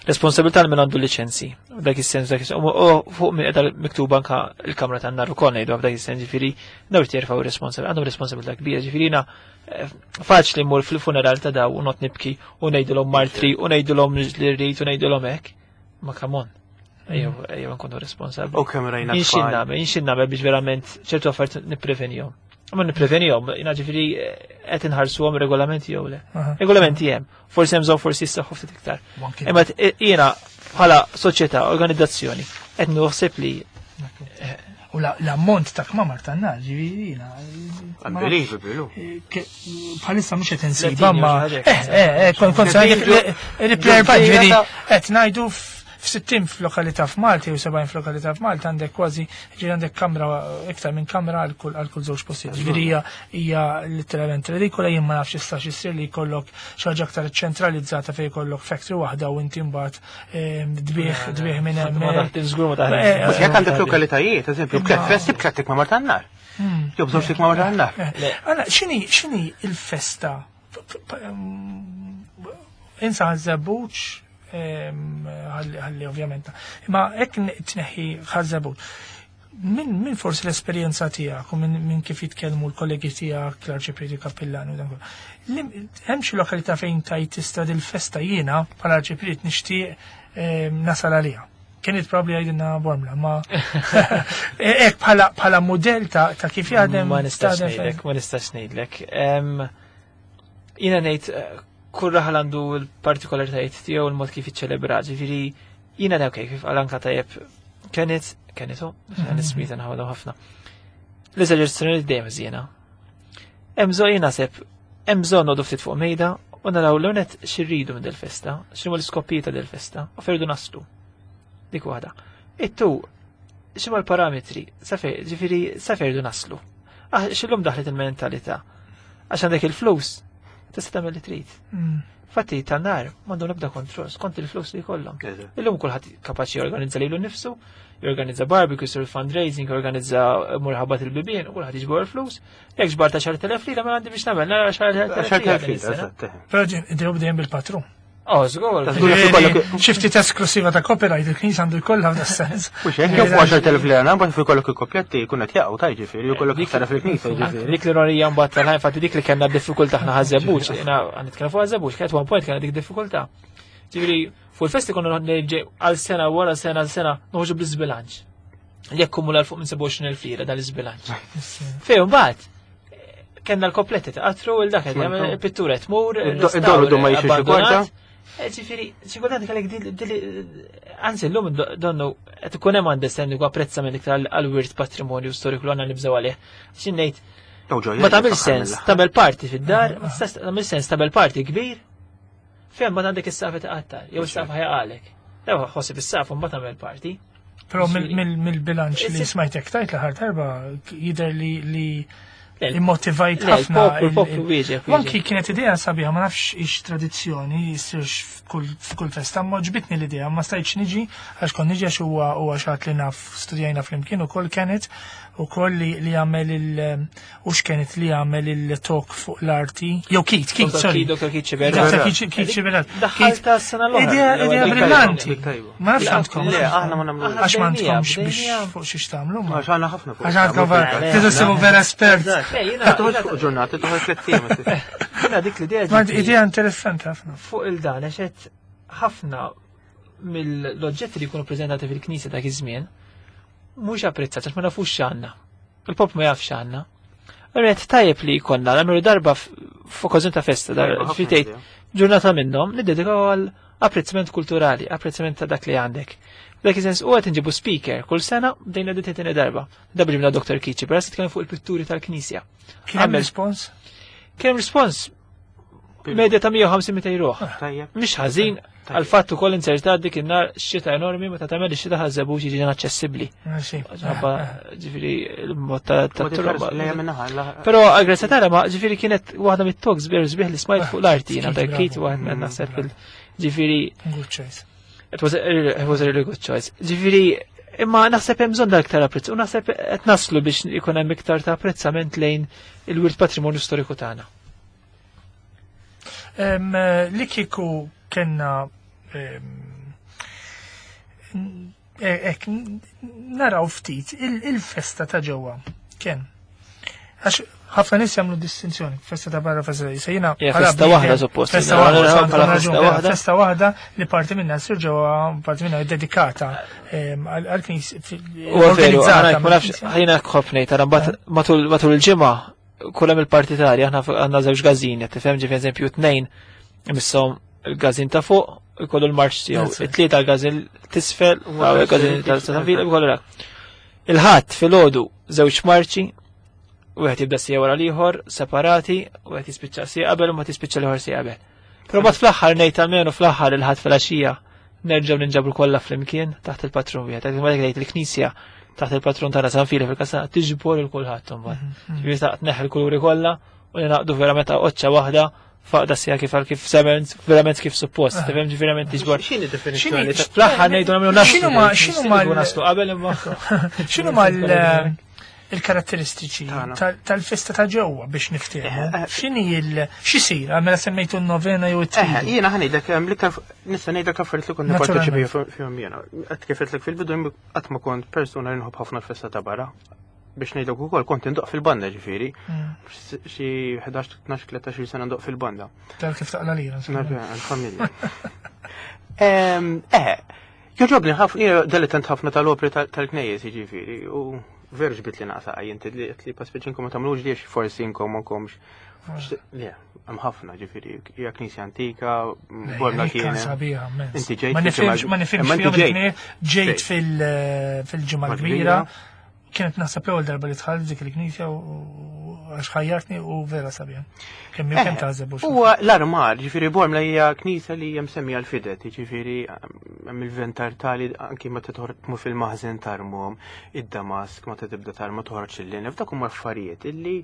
Responsabilità li min għandu liċenzji. U dak is-sens dak is-sens. U fuq minn qiegħda miktuba anka l-kamra tan-nar ukoll ngħidu f'dak is-sens ġifieri daw irid jerfgħu responsabilità, għandhom responsabilità kbira, ġifieri jiena faċli mmur fil-funeral ta' daw u not nibki u ngħidulhom martri u ngħidulhom li rrid u ngħidulhom hekk. Ma come on. Ejjew ejjew nkunu responsabbli. U kemm rajna Jinxin tfal. nagħmel, jinxin nagħmel biex verament ċertu affarijiet nipprevenihom. Ma nipprevenihom, jiena ġifieri qed inħarsuhom regolamenti jew le. Regolamenti hemm, forsi hemm bżonn forsi jissaħħu ftit iktar. Imma jiena bħala soċjetà, organizzazzjoni, qed naħseb li U l-ammont ta' kmamar tan-nar, ġifieri jiena. Unbelievable. Bħalissa mhux qed insiba ma. Kont ngħidlek ġifieri qed ngħidu f'60 f'lokalità f'Malta jew 70 f'lokalità f'Malta għandek kważi ġifieri għandek kamra iktar minn kamra għal kull żewġ postijiet. Ġifieri hija letteralment redikola jien ma nafx jistax issir li jkollok xi ħaġa aktar ċentralizzata fejn jkollok factory waħda u inti mbagħad tbigħ minn hemm. Ma taħdem żgur ma taħdem. Mhux jekk għandek lokalitajiet, eżempju, b'tliet festi b'tliet kmamar tan-nar. Jew b'żewġ kmamar tan-nar. Għala, x'inhi il-festa? Insa Ħaż-Żebbuġ ħalli ovvjament. Imma hekk tneħħi Ħaż-Żebbuġ. Min forsi l-esperjenza tiegħek u minn kif jitkellmu l-kollegi tiegħek, l-arċiprieti kappillani u dan kollu. Hemm xi lokalità fejn tajt tista' dil-festa jiena bħala arċipriet nixtieq nasal għaliha. Kienet probabli għajdinna Bormla, ma hekk bħala mudell ta' kif jaħdem. Ma nistax ngħidlek, ma nistax ngħidlek. Jiena ngħid kull raħal għandu l-partikolaritajiet tiegħu l-mod kif jiċċelebra, ġifieri jiena dawk kif għal anka tajjeb kienet kienet nismita nħawlu ħafna. L-eżerċizzjoni dejjem żiena. Hemm bżonn jien naħseb hemm bżonn noqogħdu ftit fuq mejda u naraw l-onet x'irridu minn dil-festa, x'inhu l-iskopijiet ta' dil-festa u fejn naslu. Dik waħda. Ittu x'inhu l-parametri, ġifieri sa fejn irridu naslu. X'illum daħlet il-mentalità. Għax għandek il-flus, tista' tagħmel li trid. Fatti tan-nar m'għandhom l-ebda kontroll skont il-flus li jkollhom. Illum kulħadd kapaċi jorganizza lilu nnifsu, jorganizza barbecue, jsir fundraising, jorganizza murħabat il-bibien, u kulħadd jiġbor il-flus. Jekk ġbar ta' 10,000 lira ma għandi biex nagħmel nara 10,000 lira. Però ġew dejjem bil-patrun. Oh, żgur. Xi ftit esklusiva ta' copyright il-knisja għandu jkollha f'da sens. Mhux hekk jew fuq 10,000 lira, mbagħad fuq jkollok il-kopjetti jkun qed jaqgħu ta' jiġifieri, jkollok iktar fil-knisja jiġifieri. Dik l-ironija mbagħad tal-ħajn fatti dik li kellna diffikultà aħna Ħaż-Żebbuġ, jiena nitkellem fuq Ħaż-Żebbuġ, kienet one point kellna dik diffikultà. Ġifieri fuq il-festi konna għal sena wara sena għal sena noħorġu bl-iżbilanċ. Li akkumula fuq minn 27,000 lira dal-iżbilanċ. Fejn mbagħad kellna l-kopletti ta' qatru il dak il-pittura tmur. Id-dor ma jixux kwarta. Ġifieri, xi kultant kellek anzi llum donnu qed ikun hemm understanding u apprezzament iktar għall-wirt patrimonju storiku li għandna nibżgħu għalih. Xi ngħid ma tagħmel sens, tagħmel parti fid-dar, ma tistax tagħmel sens tagħmel parti kbir fejn ma għandek is-safa taqattar, jew is-safa ħajaqalek. Dew ħossib is-safa mbagħad tagħmel parti. Però mill-bilanċ li smajtek tajt l-aħħar darba jidher li immotivajt ħafna. Il-poplu wieġeb. Anki kienet idea sabiħa, ma nafx ix tradizzjoni jsirx f'kull festa, ma ġbitni l-idea, ma stajtx niġi għax kont niġi għax huwa xi ħadd li naf studjajna flimkien ukoll kienet ukoll li jagħmel il u x'kienet li jagħmel il-talk fuq l-arti. Jew Keith, Keith, sorry. Dr. Keith Sciberras. Dr. Keith Sciberras. Daħħalta s-sena l-oħra. Idea brillanti. Ma nafx għandkom. Le, aħna ma nagħmlu. Għax ma għandkomx biex fuq xiex tagħmlu. Għax għandna ħafna fuq. Għax għandkom vera. Tidu sibu vera espert. Toħroġ fuq ġurnata, toħroġ tliet ijiem. Jiena dik l-idea. Ma idea interessanti ħafna. Fuq il-dan għax qed ħafna mill-oġġetti li jkunu preżentati fil-knisja dak iż-żmien mhux apprezzat għax ma nafux x'għandna. Il-pop ma jafx x'għandna. Rrid tajjeb li jkollna nagħmlu darba f'okkażjoni ta' festa, fitejt ġurnata minnhom niddedikaw għal apprezzament kulturali, apprezzament ta' dak li għandek. Dak is-sens u qed inġibu speaker kull sena bdejna dit tieni darba. Darba ġibna Dr. Kici, però se fuq il-pitturi tal-Knisja. Kien hemm rispons? Kien hemm rispons medja ta' 150 ruħ. Mhix ħażin għal fatt ukoll insertat dik in-nar xita enormi meta tagħmel ix-xita ħażebux jiġi inaċċessibbli. Ġifieri l-mod ta' trobba. Però għal-grazzja tara ma ġifieri kienet waħda mit-talks sbieħ sbieħ li smajt fuq l-arti jiena ta' Kate waħda naħseb il ġifieri. Good choice. It was a really good choice. Ġifieri imma naħseb hemm bżonn dal-iktar apprezz u naħseb qed naslu biex ikun hemm iktar ta' apprezzament lejn il-wirt patrimonju storiku tagħna. Li kieku kellna naraw ftit il-festa ta' ġewwa kien. Għax ħafna nies jagħmlu distinzjoni, festa ta' barra, festa ta' jiena. Festa waħda suppost. Festa waħda, festa waħda li parti minna ssir ġewwa, parti minna dedikata għall-knisja. U veru, ma nafx ħajna ħafna tara mbagħad matul il-ġimgħa kull hemm il-partitarji aħna għandna żewġ gażin, qed tifhem ġifi eżempju tnejn imisshom il-gażin ta' fuq ikollu l-marċ tiegħu, it-tlieta l-gażin tisfel, il-gażin ta' San Vila ikollu dak. Il-ħadd filgħodu żewġ marċi, wieħed jibda sija wara l-ieħor, separati, wieħed jispiċċa sija qabel u ma tispiċċa l-ieħor sija qabel. Però mbagħad fl-aħħar ngħid almenu fl-aħħar il-ħadd filgħaxija nerġgħu ninġabru kollha flimkien taħt il-patrun wieħed. Għalhekk ma ngħid il-Knisja taħt il-patrun tagħna San Fili fil-Kastana tiġbor il kulħadd imbagħad. Ġifieri ta' tneħħi l-kuluri kollha u ningħaqdu verament qoċċa waħda faqda sija kif għal kif sement, verament kif suppost, tifhem ġifieri verament tiġbor. X'inhi definizzjoni ta' Fl-aħħar ngħidu nagħmlu naslu. X'inhuma naslu qabel imma. X'inhuma il-karatteristiċi Tagħna. tal-festa ta' ġewwa biex niftehmu? X'inhi il x'isir? Mela semmejtu n-novena jew Eh, it-tridu. jiena ħa ngħidlek hemm l-iktar nista' ngħidlek affarijiet li kont Naturalment. nipparteċipa fihom jiena. Qed kif qedlek fil-bidu jien qatt ma kont persuna li nħobb ħafna l-festa ta' barra. Biex ngħidlek ukoll kont indoq fil-banda ġifieri. Xi 11, 12, 13 sena ndoq fil-banda. Tal kif taqla lira. insomma. Naf għal-familja. Joġobni ħafna, jiena dilettant ħafna tal-opri tal-knejjes jiġifieri, u veru ġbit li naqsa jinti li li paspeċ inkom ma tagħmlux li forsi inkom ma komx. Le, hemm ħafna ġifieri, hija knisja antika, Bormla Kien kien. sabiħa, immens. Inti ġejt Ma nifhimx, fil-ġimgħa- ma nifhimx Imma inti fihom ġejt. il-knejjes. Ġejt Ġejt. fil-ġimgħa Mal l-kbira. kbira. Kienet naħseb l-ewwel darba li dħalt dik il-knisja u għax ħajjartni u vera sabiħa. Kemm jew kemm tażeb u xi. Huwa l-armar, ġifieri Bormla hija knisja li hija msemmija l-fidet, ġifieri hemm il-ventar tali anki meta toħroġ tmur fil-maħżen tarmhom, id-damask meta tibda tarma toħroġ il-linef, dak huma affarijiet illi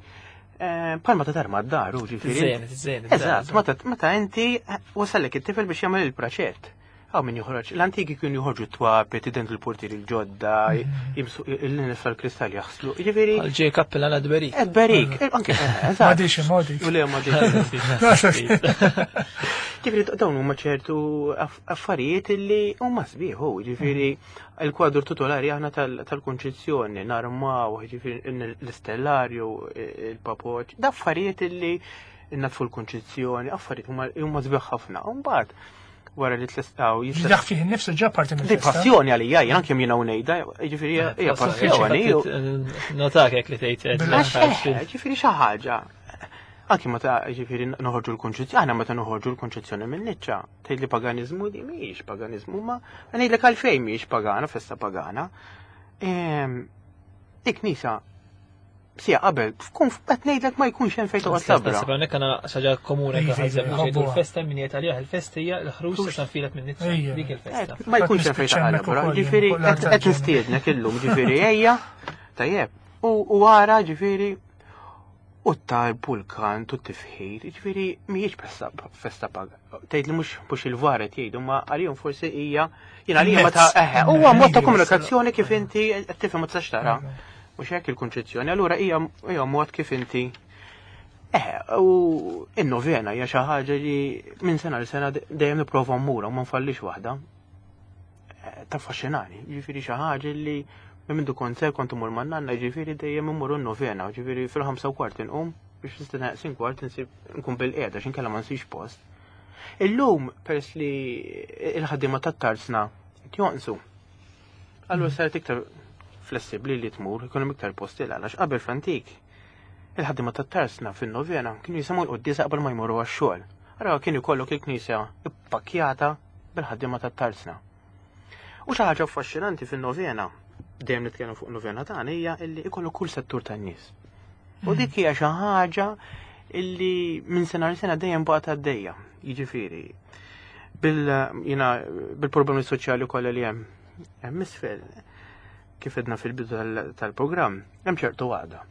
palma ta' tarma d-dar, u ġifieri. Tiżejjen, tiżejjen. Eżatt, meta inti wasallek it-tifel biex jagħmel il-praċett. Għaw min joħroġ, l-antiki kienu joħorġu t-twapet, id l-portieri l-ġodda, jimsu il-linef tal-kristall jaħslu. Ġifieri, Għal ġej kappella għal dberik. ed berik, anke, Ma eżatt. dix modi. U le ma dix. Ġifieri dawn huma ċertu affarijiet illi huma sbieħ, ġifieri il-kwadru titolari aħna tal-Kunċizzjoni, narmaw, ġifieri l-istellarju, il-papoċ, da affarijiet illi natfu l-Kunċizzjoni, affarijiet huma sbieħ ħafna. U mbagħad wara li tlestaw jista' Dak fih innifsu ġa parti Di mill-festa. passjoni għalija, jien anke jiena u ngħidha, ġifieri hija passjoni. Notak hekk li tgħid. Għax, ġifieri xi ħaġa. Anki meta ġifieri noħorġu l-konċezzjoni, aħna meta noħorġu l-konċezzjoni minn niċċa, tgħid li paganiżmu di mhijiex paganiżmu, ma ngħidlek għalfejn mhijiex pagana, festa pagana. Dik nisa sija qabel, tkun qed ngħidlek ma jkunx hemm fejn toqgħod labra. Nasib hawnhekk għandna xi ħaġa komuni Iva, anke ħażeb iva, biex jgħidu ħobbuha. l-festa min jgħid għaliha il-festa hija l-ħruġ ta' San Filep minn Nizza. Ejja. Dik il-festa. Ma jkunx hemm fejn Nispiċċa toqgħod hemmhekk labra. ukoll, Ġifieri fuq l-art qed tal-ġenna. nistiednek illum, ġifieri ejja, tajjeb. U wara ġifieri u t-talb u l-kant u t-tifħir, ġifieri mhijiex festa paga. Tgħid li mhux il-varet jgħidu, ma għalihom forsi hija jien għalija ma ta' eħe, huwa mod ta' komunikazzjoni kif inti qed tifhem ma tistax tara. Mhux hekk il-konċezzjoni, allura hija mod kif inti u in-novena hija xi ħaġa li minn sena l sena dejjem nipprova mmur u ma nfallix waħda. Taffaxxinani, ġifieri xi ħaġa li minn mindu kont ser kont imur man-nanna, ġifieri dejjem immur n-novena, ġifieri fil-5:15 inqum biex nistenna neqsin kwart insib nkun bil-qiegħda x'in kellha ma nsibx post. Illum peress li il-ħaddiema tat-tarsna qed jonqsu. Allura saret iktar flessibbli li tmur, ikun hemm iktar posti għalax qabel fl-antik. Il-ħaddiema tat-tarsna fin-novena kienu jisimgħu l-quddiesa qabel ma jmorru għax-xogħol. Allura kien ikollok il-knisja ippakkjata bil-ħaddiema tat-tarsna. U xi ħaġa affaxxinanti fin-novena, dejjem nitkellem fuq novena tagħna hija illi ikollok kull settur tan-nies. U dik hija xi ħaġa illi minn sena l sena dejjem baqgħet għaddejja. Jiġifieri bil bil-problemi soċjali kollha li hemm hemm isfel kif edna fil-bidu tal-programm, hemm ċertu għada.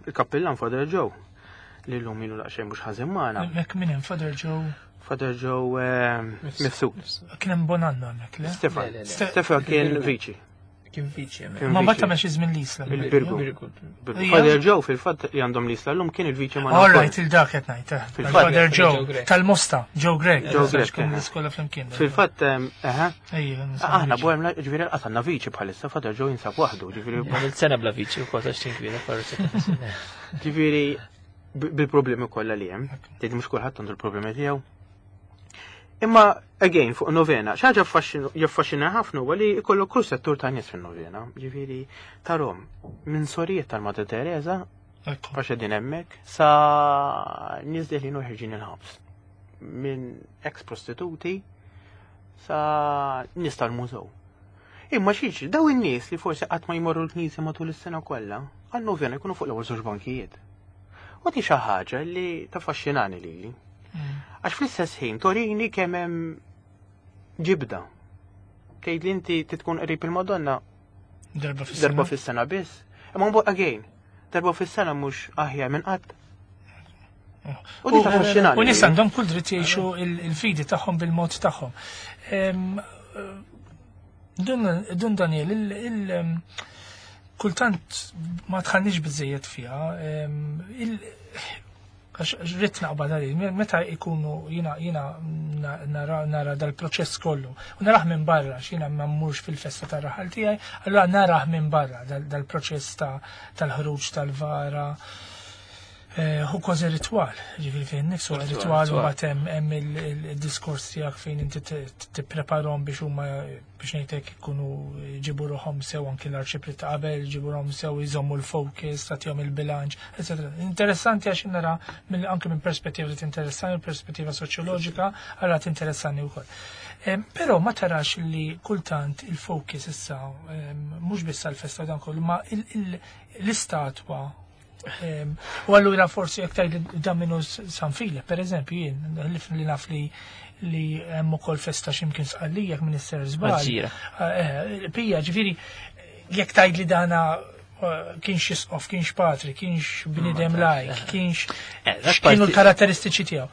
Il-kappillan Father Joe li llum ilu daqsxejn mhux ħażin magħna. Hemmhekk min hemm Father Joe Father Joe Mifsud. kien hemm Bonanno hemmhekk, le? Stefan. Le, le, le. Stefan kien viċi. Kien viċi hemmhekk. Kien Ma mbagħad viċi. tagħmel xi żmien l-Isla. Il-Birgu. Birgu. Ija. Father Joe fil-fatt li għandhom l-Isla llum kien il-viċi ma' All right, il-dak qed ngħid. Fil-fatt- Father Joe Joe Grech. tal-Mosta, Joe Grech. Joe Grech, Kien eh. l-iskola flimkien. Fil-fatt, eħe, Ejja, aħna Bormla ġifieri qasanna viċi bħalissa Father Joe jinsab waħdu, ġifieri Għamilt sena bla viċi u kol għax tinkwieta forsi. ġifieri bil-problemi kollha li hemm, tgħid mhux kulħadd għandu l-problemi tiegħu. Imma again fuq novena, xi ħaġa jaffaxxina ħafna huwa li jkollok kull settur ta' nies fin-novena, ġifieri tarhom minn sorijiet tal-Madre Teresa Ekku. għax qegħdin hemmhekk sa nies deħlin u ħerġin il-ħabs. Minn ex prostituti sa nies tal-mużew. Imma xiex, daw in-nies li forsi qatt ma jmorru l-knisja matul is-sena kollha, għan-novena jkunu fuq l-ewwel żewġ bankijiet. U di xi ħaġa li taffaxxinani lili. Għax fl-istess ħin torini kemm hemm ġibda. Tgħid li inti tkun qrib il-Madonna Darba fis-sena. Darba fis-sena biss. Imma mbagħad again, darba fis-sena mhux aħjar minn qatt. U di taffaxxinani. U nies għandhom kull dritt jgħixu il-fidi tagħhom bil-mod tagħhom. Dun Daniel, kultant ma tħallniex biżejjed fiha, għax rrid naqbad għalih, meta ikunu jiena jiena nara dal-proċess kollu, u narah minn barra, għax jiena ma mmurx fil-festa tar-raħal tiegħi, allura narah minn barra dal-proċess tal-ħruġ tal-vara. Hu kważi ritwal, ġifieri fejn nifsu ritwal, u mbagħad hemm il-diskors tiegħek fejn inti tippreparhom biex huma biex ngħidlek ikunu ġibu ruħhom sew anki l-arċiprit ta' qabel, ġibu ruħhom sew jżommu l-focus, tagħtihom il-bilanċ, eċetera. Interessanti għax nara anke minn perspettiva li tinteressani, perspettiva soċjoloġika, allura tinteressani wkoll. Però ma tarax li kultant il-focus issa mhux biss għall-festa dan kollu, ma l-istatwa. U allura forsi jekk tgħid dan minnu San Filep, per eżempju, jien li naf li hemm ukoll festa x'imkien Sqallija jekk Minister żball. Maġġira. Pija, ġifieri jekk tgħid li dana kienx isqof, kienx patri, kienx bniedem lajk, kienx x'kienu l-karatteristiċi tiegħu.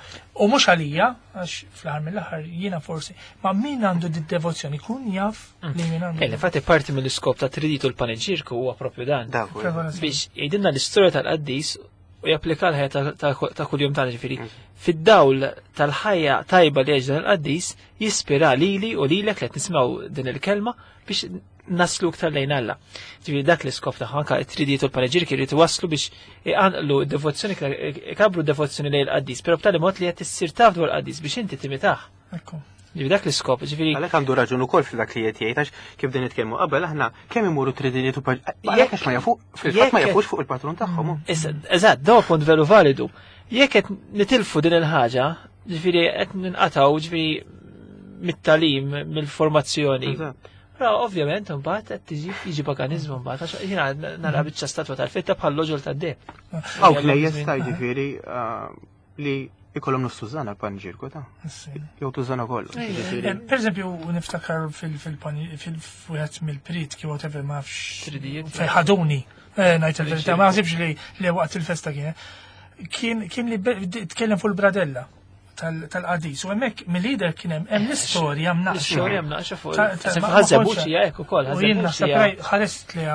U mhux għalija, għax fl-aħħar mill-aħħar jiena forsi, ma min għandu di devozzjoni kun jaf li min għandu. Infatti parti mill-iskop ta' triditu l-paneġirku huwa propju dan. Dak huwa. Preparazzjoni. Biex jgħidilna l-istorja tal-qaddis u japplika l-ħajja ta' kuljum tagħna, ġifieri. Fid-dawl tal-ħajja tajba li għex dan il-qaddis jispira lili u lilek li qed nisimgħu din il-kelma biex naslu iktar lejn Alla. Ġifieri dak l-iskop tagħha anke t-tridijiet u l-paneġirki jrid iwasslu biex iqanqlu d-devozzjoni, ikabru d-devozzjoni lejn il-qaddis, però b'tali mod li qed issir taf dwar il-qaddis biex inti timitah. Ekku. Ġifieri dak l-iskop, ġifieri Għalhekk għandu raġun ukoll f'dak li qed jgħid, għax kif din nitkellmu qabel aħna kemm imuru tridijiet u għalhekk għax ma jafu, fil-fatt ma jafux fuq il-patrun tagħhom. Issa, eżatt, daw punt veru validu. Jekk qed nitilfu din il-ħaġa, ġifieri qed ninqatgħu ġifieri mit-talim, mill-formazzjoni. Però ovvjament imbagħad qed tiġi jiġi paganiżmu mbagħad għax jiena nara biċċa statwa tal-fitta bħal loġol tad-deb. Hawn klejjes ta' ġifieri li ikollhom nofs tużana l-panġirku ta'. Jew tużana kollu. Ġifieri. Per eżempju, niftakar fil-wieħed mill-pritki, whatever, ma nafx. Tridijiet. Fejn ħaduni, ngħid il-verità, ma naħsibx li waqt il-festa kien. Kien li tkellem fuq il-bradella tal-qadis. U hemmhekk mill-lider kien hemm l-istorja mnaqxa. L-istorja mnaqxa fuq il- Ma Ħażebuċi kontx- hija hekk ukoll, U jien ħażebuċi naħseb hija- raj ħarist li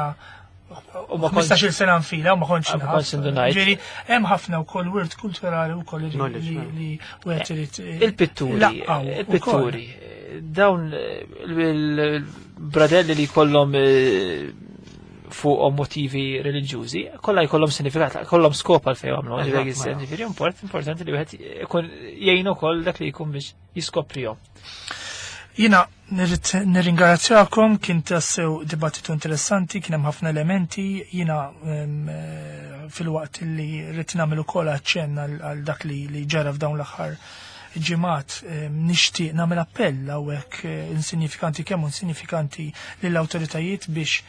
U ma kontx- 15-il sena nfila u ma kontx Ma naf. kontx indunajt. Ġifieri, hemm ħafna wkoll wirt kulturali wkoll Knowledge, man. li wieħed irid, Il-pitturi, laqqaw ukoll. il-pitturi, dawn il-bradelli li jkollhom fuqhom motivi reliġjużi, kollha jkollhom sinifikat, kollhom skop għal fejn għamlu, ġifieri ġifieri importanti li wieħed ikun jgħin ukoll dak li jkun biex jiskoprihom. Jiena nirrid nirringrazzjakom, kien tassew dibattitu interessanti, kien hemm ħafna elementi, jiena fil-waqt li rrid nagħmel ukoll aċċenn għal dak li ġara f'dawn l-aħħar ġimgħat, nixtieq nagħmel appell hawnhekk insignifikanti kemm insignifikanti lill-awtoritajiet biex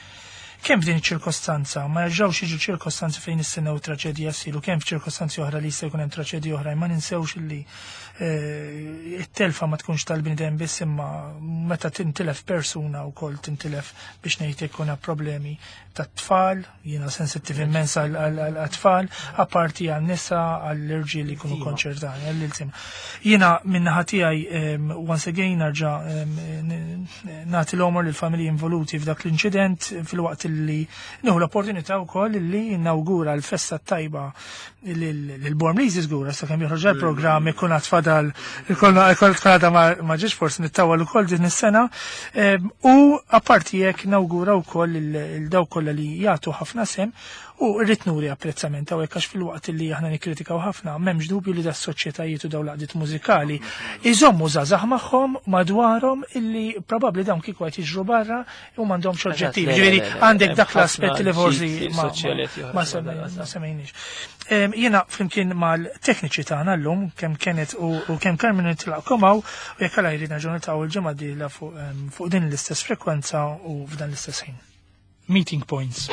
kemm f'din iċ-ċirkostanza ma jerġgħux jiġu ċirkostanzi fejn nistennew traċedija ssir u kemm f'ċirkostanzi oħra li jista' jkun hemm traċedija oħra, ma ninsewx li it-telfa ma tkunx tal-bniedem biss, imma meta tintilef persuna wkoll tintilef biex ngħid ikun hemm problemi tat-tfal, jiena sensittiv immens għall-tfal, apparti għan-nisa, għall-irġiel li jkunu konċertani, għall-iltim. Jiena min-naħa tiegħi once again nerġa' nagħti l-omor lill-familji involuti f'dak l-inċident, fil-waqt li nieħu l-opportunità wkoll li nawgura l-festa tajba lil-Bormliżi żgur, sakemm joħroġ il-programm ikun għad fadal, ikun għadha ma ġiex forsi nittawal ukoll din is-sena. U apparti jekk nawgura wkoll il dawk kollha li jagħtu ħafna sem U rrid nuri apprezzament hawnhekk għax filwaqt li aħna nikkritikaw ħafna, m'hemmx dubju li das-soċjetajiet u dawn l-għaqdiet mużikali iżommu żgħażagħ magħhom madwarhom illi probabbli dawn kieku qed jiġru barra u m'għandhomx oġġettiv. Ġifieri għandek dak l-aspett li forsi ma semmejniex. Jiena flimkien mal-tekniċi tagħna llum kemm Kenneth u kemm Carmen nitlaqkom hawn u jekk Alla jrid nerġgħu niltaqgħu il-ġimgħa d-dieħla fuq din l-istess frekwenza u f'dan l-istess ħin. Meeting Points.